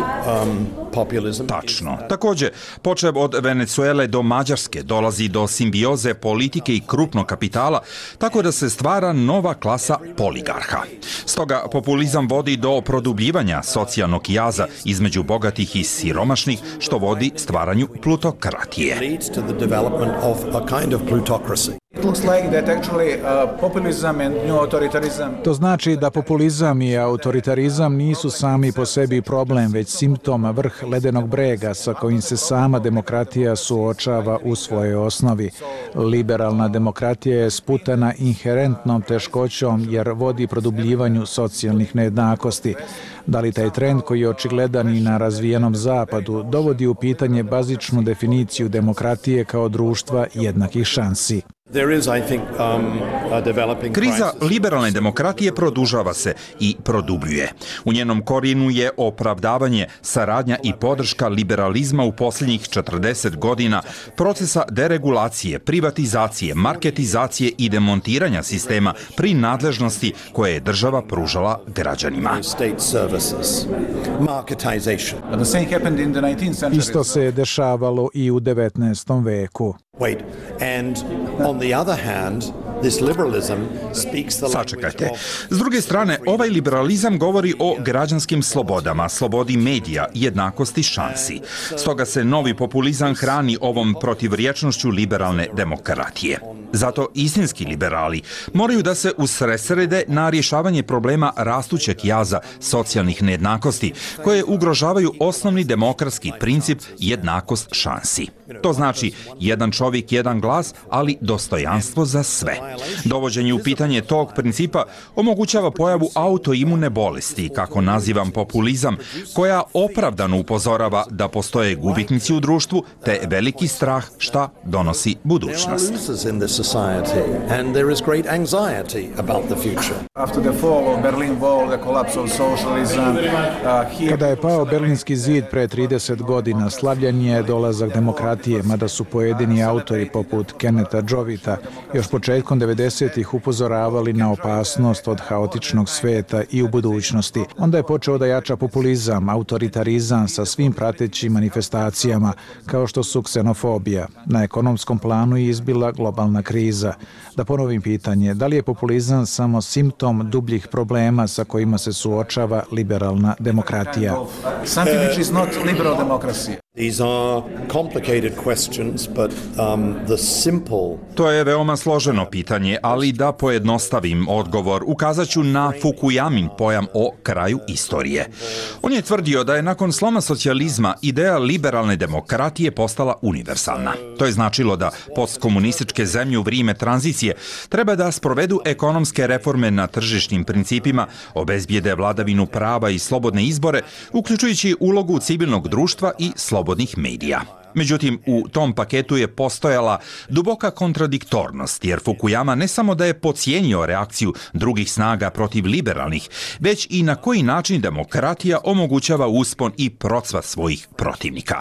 populism. Tačno. Također, počev od Venezuele do Mađarske dolazi do simbioze politike i krupnog kapitala, tako da se stvara nova klasa poligarha. Stoga populizam vodi do produbljivanja socijalnog jaza između bogatih i siromašnih, što vodi stvaranju plutokratije. Leads to the development of a kind of plutocracy. To znači da populizam i autoritarizam nisu sami po sebi problem, već simptom vrh ledenog brega sa kojim se sama demokratija suočava u svojoj osnovi. Liberalna demokratija je sputana inherentnom teškoćom jer vodi produbljivanju socijalnih nejednakosti. Da li taj trend koji je očigledan i na razvijenom zapadu dovodi u pitanje bazičnu definiciju demokratije kao društva jednakih šansi? Kriza liberalne demokratije produžava se i produbljuje. U njenom korijenu je opravdavanje, saradnja i podrška liberalizma u posljednjih 40 godina, procesa deregulacije, privatizacije, marketizacije i demontiranja sistema pri nadležnosti koje je država pružala građanima. Isto se dešavalo i u 19. veku. Sačekajte. S druge strane, ovaj liberalizam govori o građanskim slobodama, slobodi medija i jednakosti šansi. Stoga se novi populizam hrani ovom protivrječnošću liberalne demokratije. Zato istinski liberali moraju da se usredsrede na rješavanje problema rastućeg jaza socijalnih nejednakosti, koje ugrožavaju osnovni demokratski princip jednakost šansi. To znači jedan čovjek, jedan glas, ali dostojanstvo za sve. Dovođenje u pitanje tog principa omogućava pojavu autoimune bolesti, kako nazivam populizam, koja opravdano upozorava da postoje gubitnici u društvu, te veliki strah šta donosi budućnost. Kada je pao Berlinski zid pre 30 godina, slavljen je dolazak demokratije, mada su pojedini autori poput Kenneta Jovita još početkom 90-ih upozoravali na opasnost od haotičnog sveta i u budućnosti. Onda je počeo da jača populizam, autoritarizam sa svim pratećim manifestacijama, kao što su ksenofobija. Na ekonomskom planu je izbila globalna kriza. Da ponovim pitanje, da li je populizam samo simptom dubljih problema sa kojima se suočava liberalna demokratija? Something which is not liberal democracy. These are complicated questions, but the simple... To je veoma složeno pitanje, ali da pojednostavim odgovor, ukazat ću na Fukuyamin pojam o kraju istorije. On je tvrdio da je nakon sloma socijalizma ideja liberalne demokratije postala univerzalna. To je značilo da postkomunističke zemlje u vrijeme tranzicije treba da sprovedu ekonomske reforme na tržišnim principima, obezbijede vladavinu prava i slobodne izbore, uključujući ulogu civilnog društva i slobodnih medija. Međutim, u tom paketu je postojala duboka kontradiktornost, jer Fukuyama ne samo da je podcijenio reakciju drugih snaga protiv liberalnih, već i na koji način demokratija omogućava uspon i procvat svojih protivnika.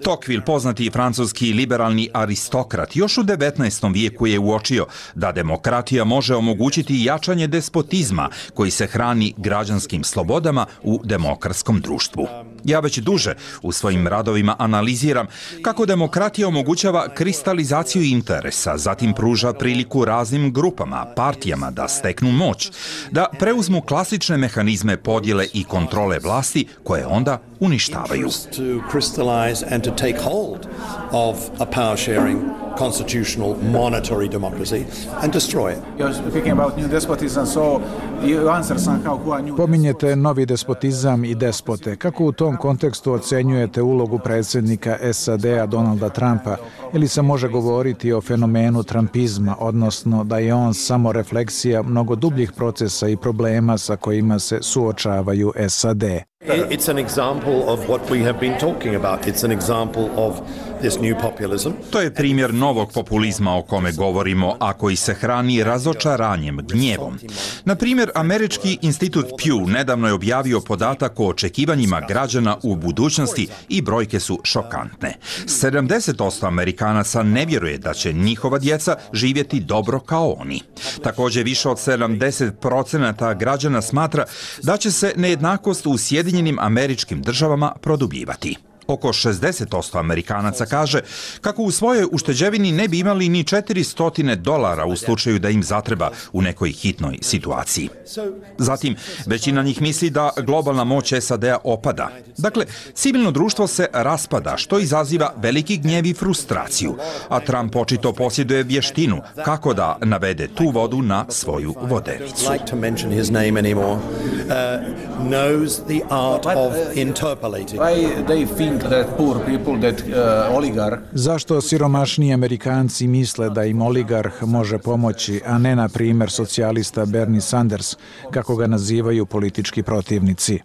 Tocqueville, poznati francuski liberalni aristokrat, još u 19. vijeku je uočio da demokratija može omogućiti jačanje despotizma koji se hrani građanskim slobodama u demokratskom društvu. Ja već duže u svojim radovima analiziram kako demokratija omogućava kristalizaciju interesa, zatim pruža priliku raznim grupama, partijama da steknu moć, da preuzmu klasične mehanizme podjele i kontrole vlasti koje onda uništavaju. Constitutional monetary democracy and destroy it. Pominjete novi despotizam i despote. Kako u tom kontekstu ocenjujete ulogu predsjednika SAD-a Donalda Trumpa, ili se može govoriti o fenomenu trumpizma, odnosno da je on samo refleksija mnogo dubljih procesa i problema sa kojima se suočavaju SAD? It's an example of what we have been talking about. It's an example of To je primjer novog populizma o kome govorimo, a koji se hrani razočaranjem, gnjevom. Na primjer, Američki institut Pew nedavno je objavio podatak o očekivanjima građana u budućnosti i brojke su šokantne. 70% Amerikanaca ne vjeruje da će njihova djeca živjeti dobro kao oni. Također više od 70% građana smatra da će se nejednakost u Sjedinjenim Američkim Državama produbljivati. Oko 60% Amerikanaca kaže kako u svojoj ušteđevini ne bi imali ni $400 u slučaju da im zatreba u nekoj hitnoj situaciji. Zatim, većina njih misli da globalna moć SAD-a opada. Dakle, civilno društvo se raspada, što izaziva veliki gnjev i frustraciju, a Trump očito posjeduje vještinu kako da navede tu vodu na svoju vodenicu. Zašto siromašniji Amerikanci misle da im oligarh može pomoći, a ne, na primjer, socijalista Bernie Sanders, kako ga nazivaju politički protivnici?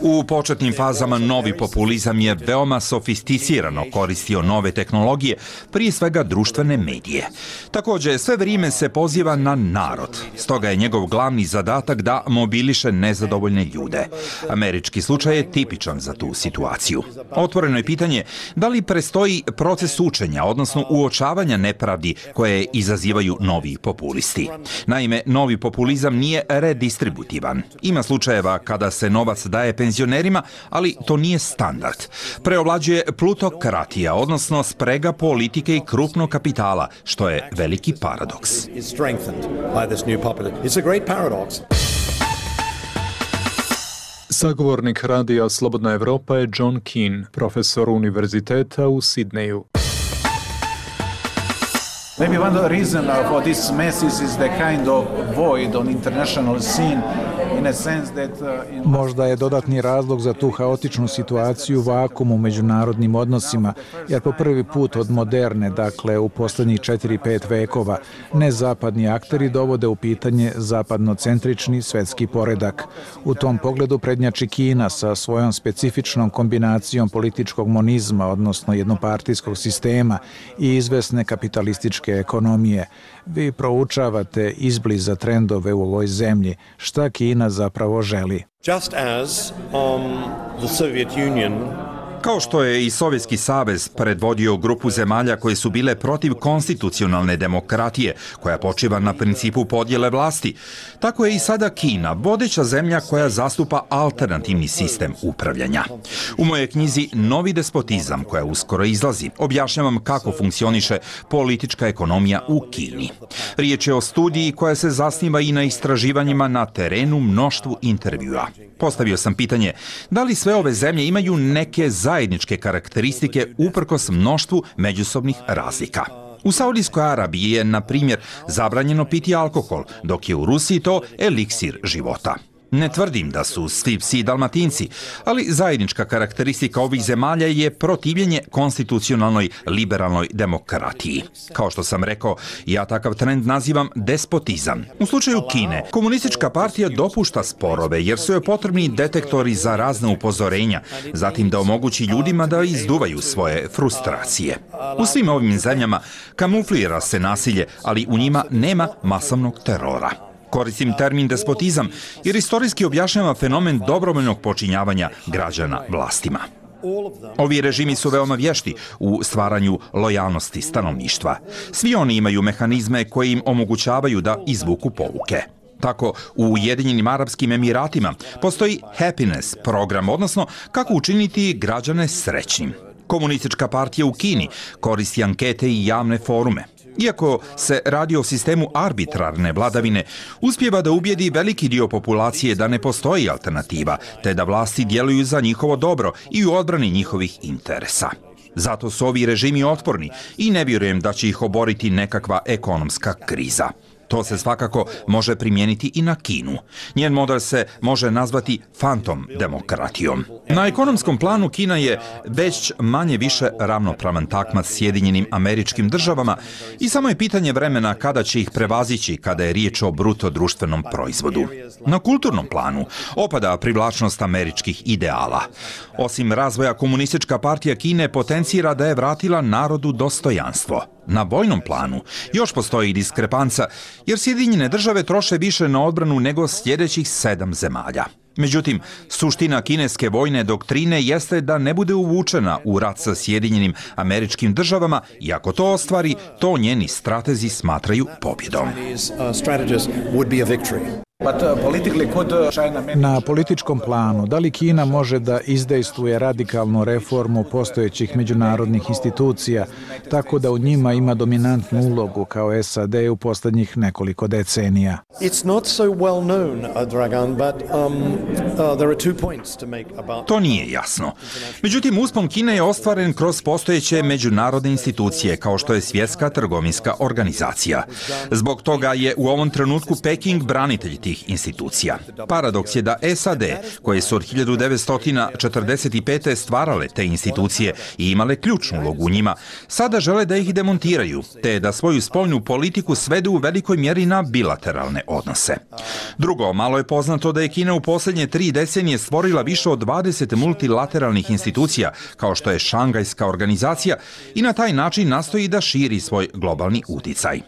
U početnim fazama novi populizam je veoma sofisticirano koristio nove tehnologije, prije svega društvene medije. Također, sve vrijeme se poziva na narod, stoga je njegov glavni zadatak da mobiliše nezadovoljne ljude. Američki slučaj je tipičan za tu situaciju. Otvoreno je pitanje da li prestoji proces učenja, odnosno uočavanja nepravdi koje izazivaju novi populisti. Naime, novi populizam nije redistributivan. Ima slučajeva kada se novac daje penzionerima, ali to nije standard. Preovlađuje plutokratija, odnosno sprega politike i krupnog kapitala, što je veliki paradoks. Sagovornik radija Slobodna Evropa je John Keane, profesor univerziteta u Sidneju. Maybe one reason for this mess is the kind of void on international scene in a sense that Možda je dodatni razlog za tu haotičnu situaciju vakum u međunarodnim odnosima, jer po prvi put od moderne, dakle u posljednjih 4-5 vekova, nezapadni akteri dovode u pitanje zapadnocentrični svetski poredak. U tom pogledu prednjači Kina sa svojom specifičnom kombinacijom političkog monizma, odnosno jednopartijskog sistema i izvesne kapitalističke ekonomije. Vi proučavate izbliza trendove u ovoj zemlji. Šta Kina zapravo želi? Just as the Soviet Union Kao što je i Sovjetski savez predvodio grupu zemalja koje su bile protiv konstitucionalne demokratije, koja počiva na principu podjele vlasti, tako je i sada Kina vodeća zemlja koja zastupa alternativni sistem upravljanja. U mojoj knjizi Novi despotizam, koja uskoro izlazi, objašnjavam kako funkcioniše politička ekonomija u Kini. Riječ je o studiji koja se zasniva i na istraživanjima na terenu, mnoštvu intervjua. Postavio sam pitanje da li sve ove zemlje imaju neke zajedničke karakteristike uprkos mnoštvu međusobnih razlika. U Saudijskoj Arabiji je, na primjer, zabranjeno piti alkohol, dok je u Rusiji to eliksir života. Ne tvrdim da su svi psi Dalmatinci, ali zajednička karakteristika ovih zemalja je protivljenje konstitucionalnoj liberalnoj demokratiji. Kao što sam rekao, ja takav trend nazivam despotizam. U slučaju Kine, komunistička partija dopušta sporove jer su joj potrebni detektori za razne upozorenja, zatim da omogući ljudima da izduvaju svoje frustracije. U svim ovim zemljama kamuflira se nasilje, ali u njima nema masovnog terora. Koristim termin despotizam jer istorijski objašnjava fenomen dobrovoljnog počinjavanja građana vlastima. Ovi režimi su veoma vješti u stvaranju lojalnosti stanovništva. Svi oni imaju mehanizme koji im omogućavaju da izvuku pouke. Tako, u Ujedinjenim Arapskim Emiratima postoji happiness program, odnosno kako učiniti građane srećnim. Komunistička partija u Kini koristi ankete i javne forume. Iako se radi o sistemu arbitrarne vladavine, uspijeva da ubijedi veliki dio populacije da ne postoji alternativa, te da vlasti djeluju za njihovo dobro i u odbrani njihovih interesa. Zato su ovi režimi otporni i ne vjerujem da će ih oboriti nekakva ekonomska kriza. To se svakako može primijeniti i na Kinu. Njen model se može nazvati fantom demokratijom. Na ekonomskom planu Kina je već manje više ravnopravan takmac Sjedinjenim Američkim Državama i samo je pitanje vremena kada će ih prevazići kada je riječ o bruto društvenom proizvodu. Na kulturnom planu opada privlačnost američkih ideala. Osim razvoja, Komunistička partija Kine potencira da je vratila narodu dostojanstvo. Na vojnom planu još postoji diskrepanca, jer Sjedinjene Države troše više na odbranu nego sljedećih 7 zemalja. Međutim, suština kineske vojne doktrine jeste da ne bude uvučena u rat sa Sjedinjenim Američkim Državama i ako to ostvari, to njeni stratezi smatraju pobjedom. Na političkom planu, da li Kina može da izdejstvuje radikalnu reformu postojećih međunarodnih institucija, tako da u njima ima dominantnu ulogu kao SAD u posljednjih nekoliko decenija? To nije jasno. Međutim, uspon Kine je ostvaren kroz postojeće međunarodne institucije, kao što je Svjetska trgovinska organizacija. Zbog toga je u ovom trenutku Peking branitelj tih institucija. Paradoks je da SAD, koje su od 1945. stvarale te institucije i imale ključnu ulogu u njima, sada žele da ih demontiraju, te da svoju spoljnu politiku svedu u velikoj mjeri na bilateralne odnose. Drugo, malo je poznato da je Kina u posljednje 3 decenije stvorila više od 20 multilateralnih institucija, kao što je Šangajska organizacija, i na taj način nastoji da širi svoj globalni uticaj.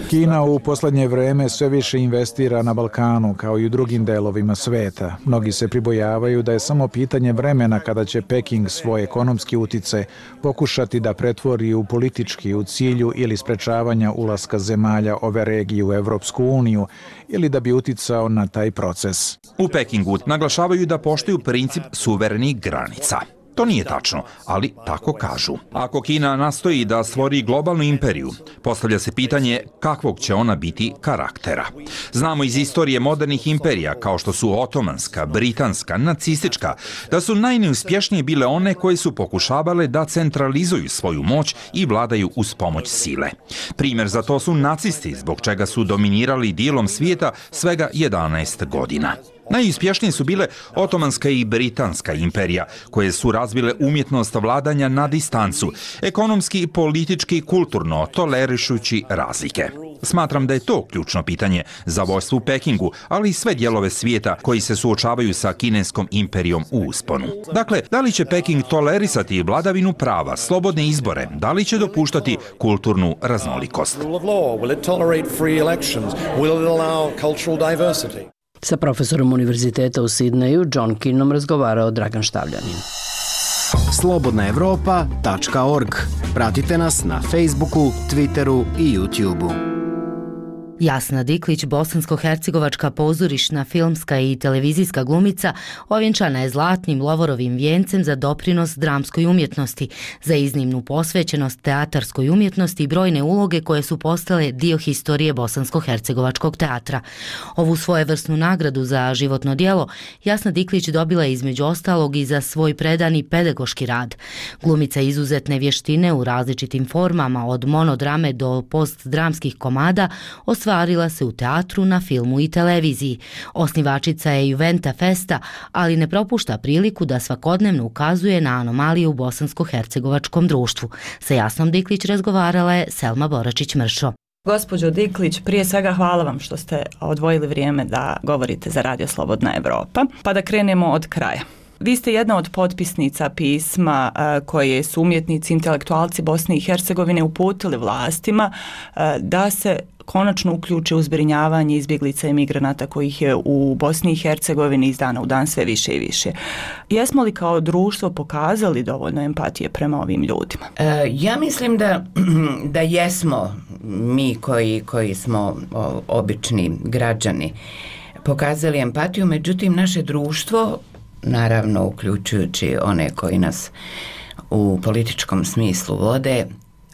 Kina u posljednje vreme sve više investira na Balkanu, kao i u drugim delovima sveta. Mnogi se pribojavaju da je samo pitanje vremena kada će Peking svoj ekonomski uticaj pokušati da pretvori u politički u cilju ili sprečavanja ulaska zemalja ove regije u Evropsku uniju ili da bi uticao na taj proces. U Pekingu naglašavaju da poštuju princip suverenih granica. To nije tačno, ali tako kažu. Ako Kina nastoji da stvori globalnu imperiju, postavlja se pitanje kakvog će ona biti karaktera. Znamo iz istorije modernih imperija, kao što su otomanska, britanska, nacistička, da su najneuspješnije bile one koje su pokušavale da centralizuju svoju moć i vladaju uz pomoć sile. Primjer za to su nacisti, zbog čega su dominirali dijelom svijeta svega 11 godina. Najuspješnije su bile Otomanska i Britanska imperija, koje su razvile umjetnost vladanja na distancu, ekonomski, politički i kulturno, tolerišući razlike. Smatram da je to ključno pitanje za vojstvo u Pekingu, ali i sve dijelove svijeta koji se suočavaju sa kineskom imperijom u usponu. Dakle, da li će Peking tolerisati vladavinu prava, slobodne izbore, da li će dopuštati kulturnu raznolikost? Sa profesorom Univerziteta u Sidneju, John Keenom, razgovarao Dragan Štavljanin. slobodnaevropa.org. Pratite nas na Facebooku, Twitteru i YouTubeu. Jasna Diklić, bosansko-hercegovačka pozorišna, filmska i televizijska glumica, ovjenčana je zlatnim Lovorovim vijencem za doprinos dramskoj umjetnosti, za iznimnu posvećenost teatarskoj umjetnosti i brojne uloge koje su postale dio historije bosansko-hercegovačkog teatra. Ovu svojevrsnu nagradu za životno djelo Jasna Diklić dobila je između ostalog i za svoj predani pedagoški rad. Glumica izuzetne vještine u različitim formama, od monodrame do postdramskih komada, ostvarila se u teatru, na filmu i televiziji. Osnivačica je Juventa Festa, ali ne propušta priliku da svakodnevno ukazuje na anomalije u bosansko-hercegovačkom društvu. Sa Jasnom Diklić razgovarala je Selma Boračić-Mršo. Gospođo Diklić, prije svega hvala vam što ste odvojili vrijeme da govorite za Radio Slobodna Evropa. Pa da krenemo od kraja. Vi ste jedna od potpisnica pisma koje su umjetnici, intelektualci Bosne i Hercegovine uputili vlastima da se konačno uključe u zbrinjavanje izbjeglica i migranata kojih je u Bosni i Hercegovini iz dana u dan sve više i više. Jesmo li kao društvo pokazali dovoljno empatije prema ovim ljudima? Ja mislim da jesmo mi koji smo obični građani pokazali empatiju, međutim naše društvo, naravno uključujući one koji nas u političkom smislu vode,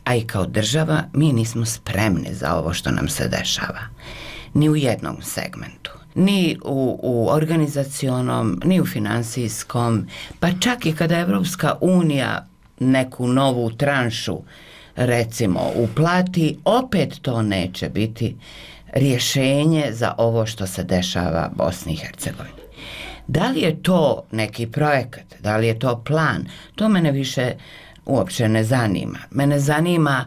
a i kao država, mi nismo spremni za ovo što nam se dešava. Ni u jednom segmentu. Ni u organizacionom, ni u finansijskom, pa čak i kada Evropska unija neku novu tranšu recimo uplati, opet to neće biti rješenje za ovo što se dešava Bosni i Hercegovini. Da li je to neki projekat, da li je to plan, to mene više uopće ne zanima. Mene zanima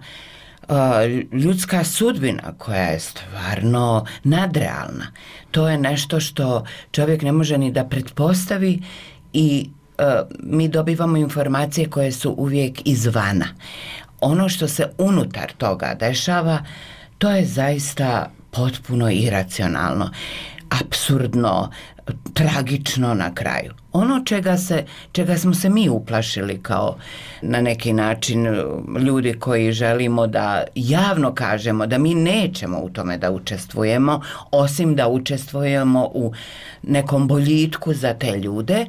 ljudska sudbina koja je stvarno nadrealna. To je nešto što čovjek ne može ni da pretpostavi i mi dobivamo informacije koje su uvijek izvana. Ono što se unutar toga dešava, to je zaista potpuno iracionalno, apsurdno, tragično na kraju. Ono čega smo se mi uplašili kao na neki način ljudi koji želimo da javno kažemo da mi nećemo u tome da učestvujemo, osim da učestvujemo u nekom boljitku za te ljude.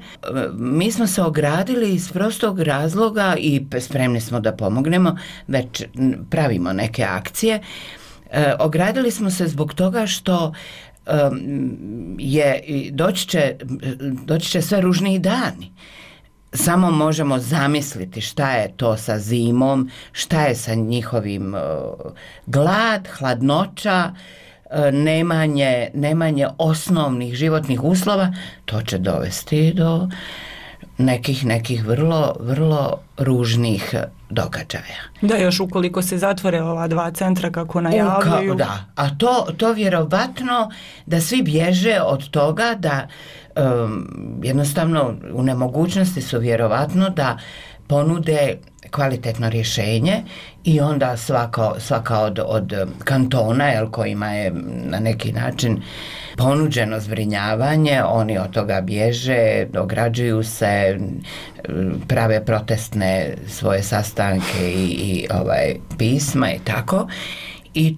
Mi smo se ogradili iz prostog razloga i spremni smo da pomognemo, već pravimo neke akcije. Ogradili smo se zbog toga što doći će sve ružniji dani. Samo možemo zamisliti šta je to sa zimom, šta je sa njihovim glad, hladnoća, nemanje osnovnih životnih uslova. To će dovesti do nekih vrlo, vrlo ružnih događaja. Da, još ukoliko se zatvore ova 2 centra kako najavljuju. Da, a to vjerovatno da svi bježe od toga da jednostavno u nemogućnosti su vjerovatno da ponude kvalitetno rješenje i onda svaka od kantona kojima je na neki način ponuđeno zbrinjavanje, oni od toga bježe, ograđuju se, prave protestne svoje sastanke i pisma i tako. I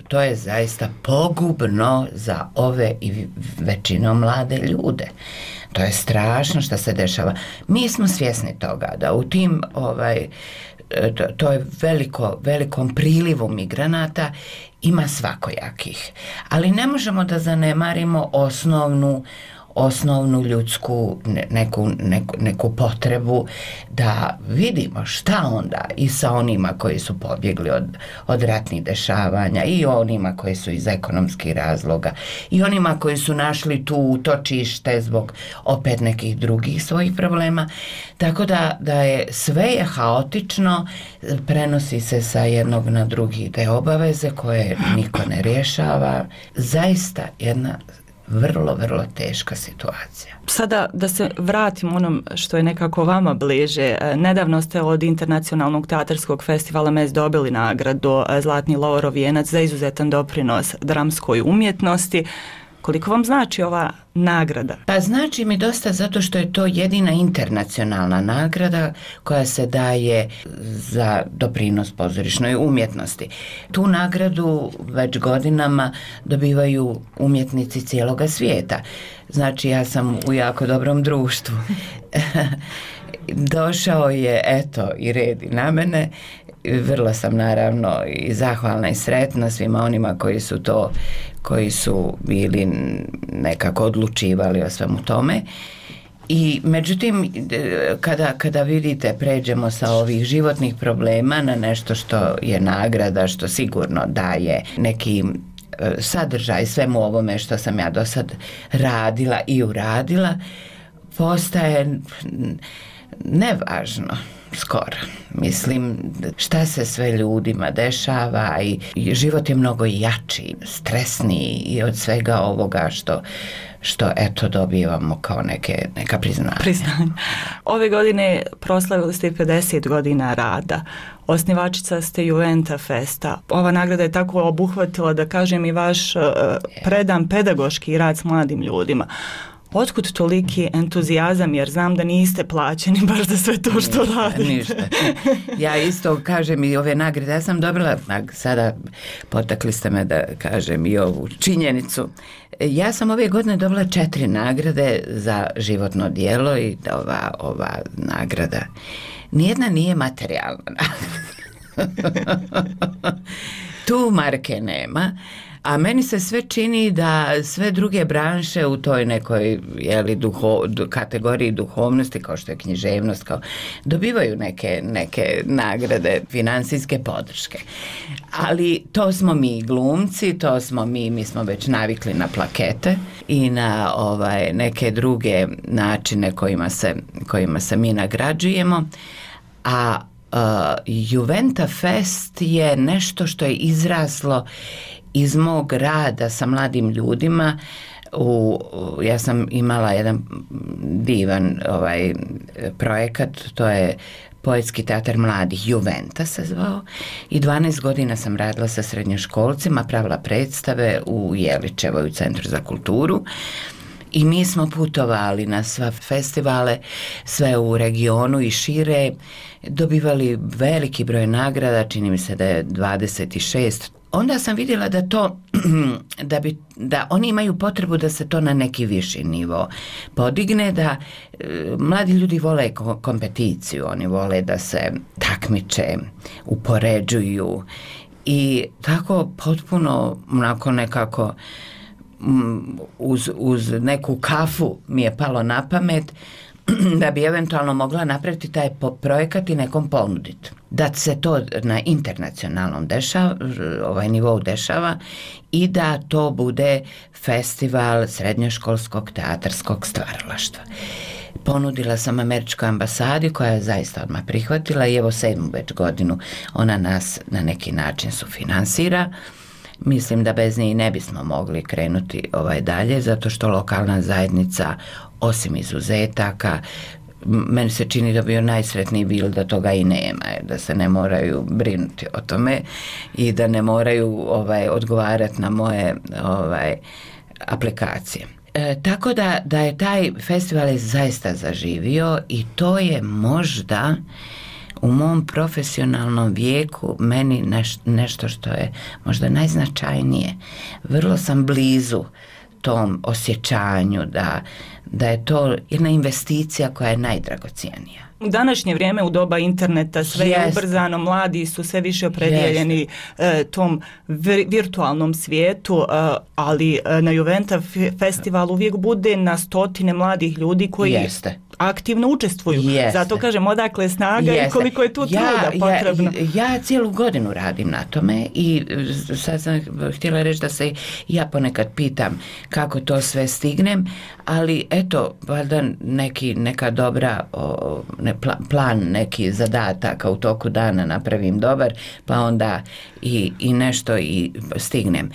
to je zaista pogubno za ove i većinom mlade ljude. To je strašno što se dešava. Mi smo svjesni toga da u tim to je velikom prilivu migranata ima svakojakih. Ali ne možemo da zanemarimo osnovnu ljudsku neku potrebu da vidimo šta onda i sa onima koji su pobjegli od ratnih dešavanja i onima koji su iz ekonomskih razloga i onima koji su našli tu utočište zbog opet nekih drugih svojih problema. Tako da je sve haotično, prenosi se sa jednog na drugi te obaveze koje niko ne rješava. Zaista jedna vrlo, vrlo teška situacija. Sada da se vratim onom što je nekako vama bliže. Nedavno ste od Internacionalnog teatarskog festivala MES dobili nagradu Zlatni lovorov vijenac za izuzetan doprinos dramskoj umjetnosti. Koliko vam znači ova nagrada? Pa znači mi dosta zato što je to jedina internacionalna nagrada koja se daje za doprinos pozorišnoj umjetnosti. Tu nagradu već godinama dobivaju umjetnici cijeloga svijeta. Znači ja sam u jako dobrom društvu. Došao je i red i na mene. Vrlo sam naravno i zahvalna i sretna svima onima koji su bili nekako odlučivali o svemu tome. I međutim, kada vidite, pređemo sa ovih životnih problema na nešto što je nagrada, što sigurno daje neki sadržaj svemu ovome što sam ja do sad radila i uradila, postaje nevažno. Skoro. Mislim, šta se sve ljudima dešava i život je mnogo jači, stresniji i od svega ovoga što eto dobivamo kao neka priznanja. Ove godine proslavili ste 50 godina rada. Osnivačica ste Juventa Festa. Ova nagrada je tako obuhvatila, da kažem, i vaš predan pedagoški rad s mladim ljudima. Otkud toliki entuzijazam, jer znam da niste plaćeni baš za sve to što radite? Ništa. Ja isto kažem i ove nagrade. Ja sam dobila, sada potakli ste me da kažem i ovu činjenicu. Ja sam ove godine dobila 4 nagrade za životno djelo i ova nagrada. Nijedna nije materijalna nagrada. Tu marke nema. A meni se sve čini da sve druge branše u toj nekoj kategoriji duhovnosti, kao što je književnost, dobivaju neke nagrade, finansijske podrške. Ali to smo mi glumci, to smo mi smo već navikli na plakete i na neke druge načine kojima se mi nagrađujemo. A Juventa Fest je nešto što je izraslo iz mog rada sa mladim ljudima. Ja sam imala jedan divan projekat, to je Poetski teatar mladih, Juventa se zvao, i 12 godina sam radila sa srednjoškolcima, pravila predstave u Jeličevoj u Centru za kulturu. I mi smo putovali na sva festivale, sve u regionu i šire, dobivali veliki broj nagrada, čini mi se da je 26. Onda sam vidjela da to, da oni imaju potrebu da se to na neki viši nivo podigne, da mladi ljudi vole kompeticiju, oni vole da se takmiče, upoređuju i tako potpuno onako nekako uz neku kafu mi je palo na pamet da bi eventualno mogla napraviti taj projekat i nekom ponuditi. Da se to na internacionalnom nivou dešava i da to bude festival srednjoškolskog teatarskog stvaralaštva. Ponudila sam Američkoj ambasadi koja je zaista odmah prihvatila i evo 7. već godinu ona nas na neki način sufinansira. Mislim da bez nje ne bismo mogli krenuti dalje, zato što lokalna zajednica, osim izuzetaka, meni se čini da bi najsretniji bil da toga i nema, da se ne moraju brinuti o tome i da ne moraju odgovarati na moje aplikacije. Tako da je taj festival zaista zaživio i to je možda u mom profesionalnom vijeku meni nešto što je možda najznačajnije. Vrlo sam blizu tom osjećanju da je to jedna investicija koja je najdragocijenija. U današnje vrijeme, u doba interneta, sve je ubrzano, mladi su sve više opredjeljeni tom virtualnom svijetu, ali na Juventa festivalu uvijek bude na stotine mladih ljudi koji aktivno učestvuju. Zato kažem, odakle snaga i koliko je tu truda potrebno. Ja cijelu godinu radim na tome i sad sam htjela reći da se ja ponekad pitam kako to sve stignem, ali eto, valjda neka dobra plan, neki zadataka u toku dana napravim dobar, pa onda i nešto i stignem.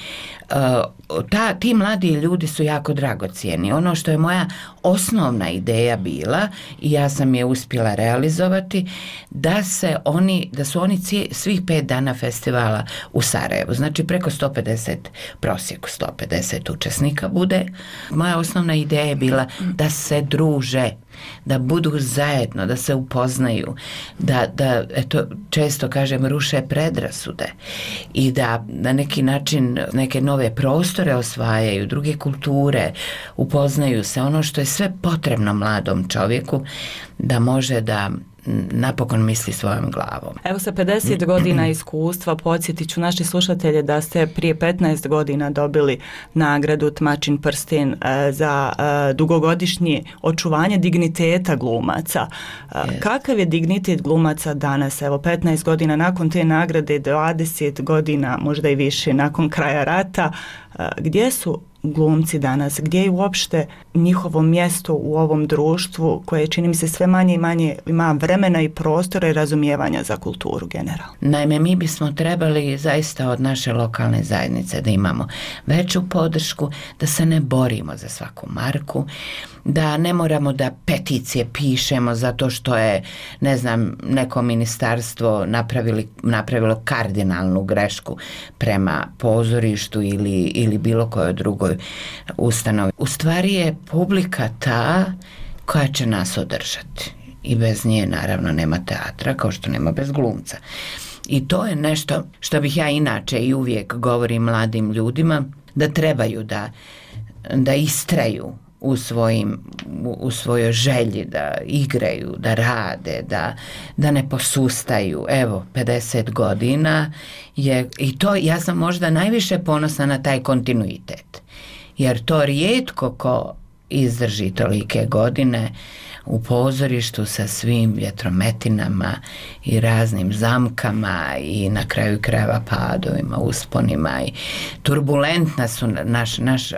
Ti mladi ljudi su jako dragocijeni. Ono što je moja osnovna ideja bila i ja sam je uspjela realizovati, da su oni svih 5 dana festivala u Sarajevu, znači preko 150, prosjeku 150 učesnika bude. Moja osnovna ideja je bila da se druže, da budu zajedno, da se upoznaju, da eto, često kažem, ruše predrasude i da na neki način neke nove prostore osvajaju, druge kulture, upoznaju se, ono što je sve potrebno mladom čovjeku da može da napokon misli svojom glavom. Evo, sa 50 godina iskustva podsjetit ću naši slušatelje da ste prije 15 godina dobili nagradu Tmačin prsten za dugogodišnje očuvanje digniteta glumaca. Kakav je dignitet glumaca danas? Evo, 15 godina nakon te nagrade, 20 godina, možda i više, nakon kraja rata. Gdje su glumci danas? Gdje je uopšte njihovo mjesto u ovom društvu koje, čini mi se, sve manje i manje ima vremena i prostora i razumijevanja za kulturu generalno? Naime, mi bismo trebali zaista od naše lokalne zajednice da imamo veću podršku, da se ne borimo za svaku marku, da ne moramo da peticije pišemo zato što je, ne znam, neko ministarstvo napravilo kardinalnu grešku prema pozorištu ili bilo kojoj drugoj ustanovi. U stvari je publika ta koja će nas održati i bez nje naravno nema teatra, kao što nema bez glumca. I to je nešto što bih ja inače i uvijek govorim mladim ljudima, da trebaju da istraju u svojoj želji da igraju, da rade, da ne posustaju. Evo, 50 godina je, i to ja sam možda najviše ponosna na taj kontinuitet. Jer to rijetko ko izdrži tolike godine u pozorištu sa svim vjetrometinama i raznim zamkama i na kraju krajeva padovima, usponima i turbulentna su naš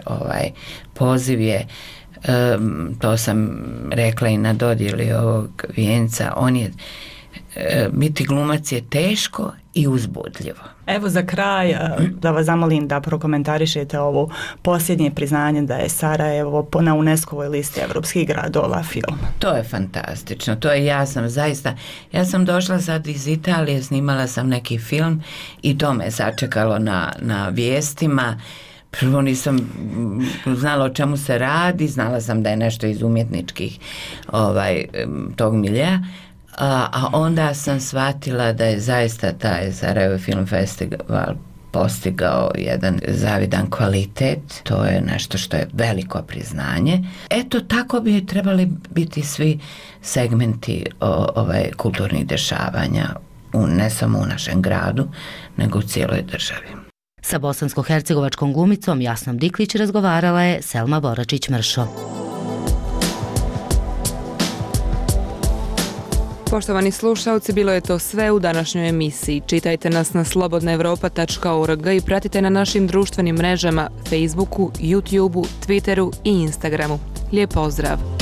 poziv je, to sam rekla i na dodjeli ovog vijenca, on je, biti glumac je teško i uzbudljivo. Evo za kraj da vas zamolim da prokomentarišete ovo posljednje priznanje da je Sarajevo na UNESCO-voj listi evropskih gradova film. To je fantastično. To je, ja sam došla sad iz Italije, snimala sam neki film i to me sačekalo na vijestima. Prvo nisam znala o čemu se radi, znala sam da je nešto iz umjetničkih tog miljeja. A onda sam shvatila da je zaista taj Sarajevo Film Festival postigao jedan zavidan kvalitet. To je nešto što je veliko priznanje. Eto, tako bi trebali biti svi segmenti kulturnih dešavanja, ne samo u našem gradu, nego u cijeloj državi. Sa bosansko-hercegovačkom glumicom Jasnom Diklić razgovarala je Selma Boračić-Mršo. Poštovani slušalci, bilo je to sve u današnjoj emisiji. Čitajte nas na slobodnaevropa.org i pratite na našim društvenim mrežama Facebooku, YouTubeu, Twitteru i Instagramu. Lijep pozdrav!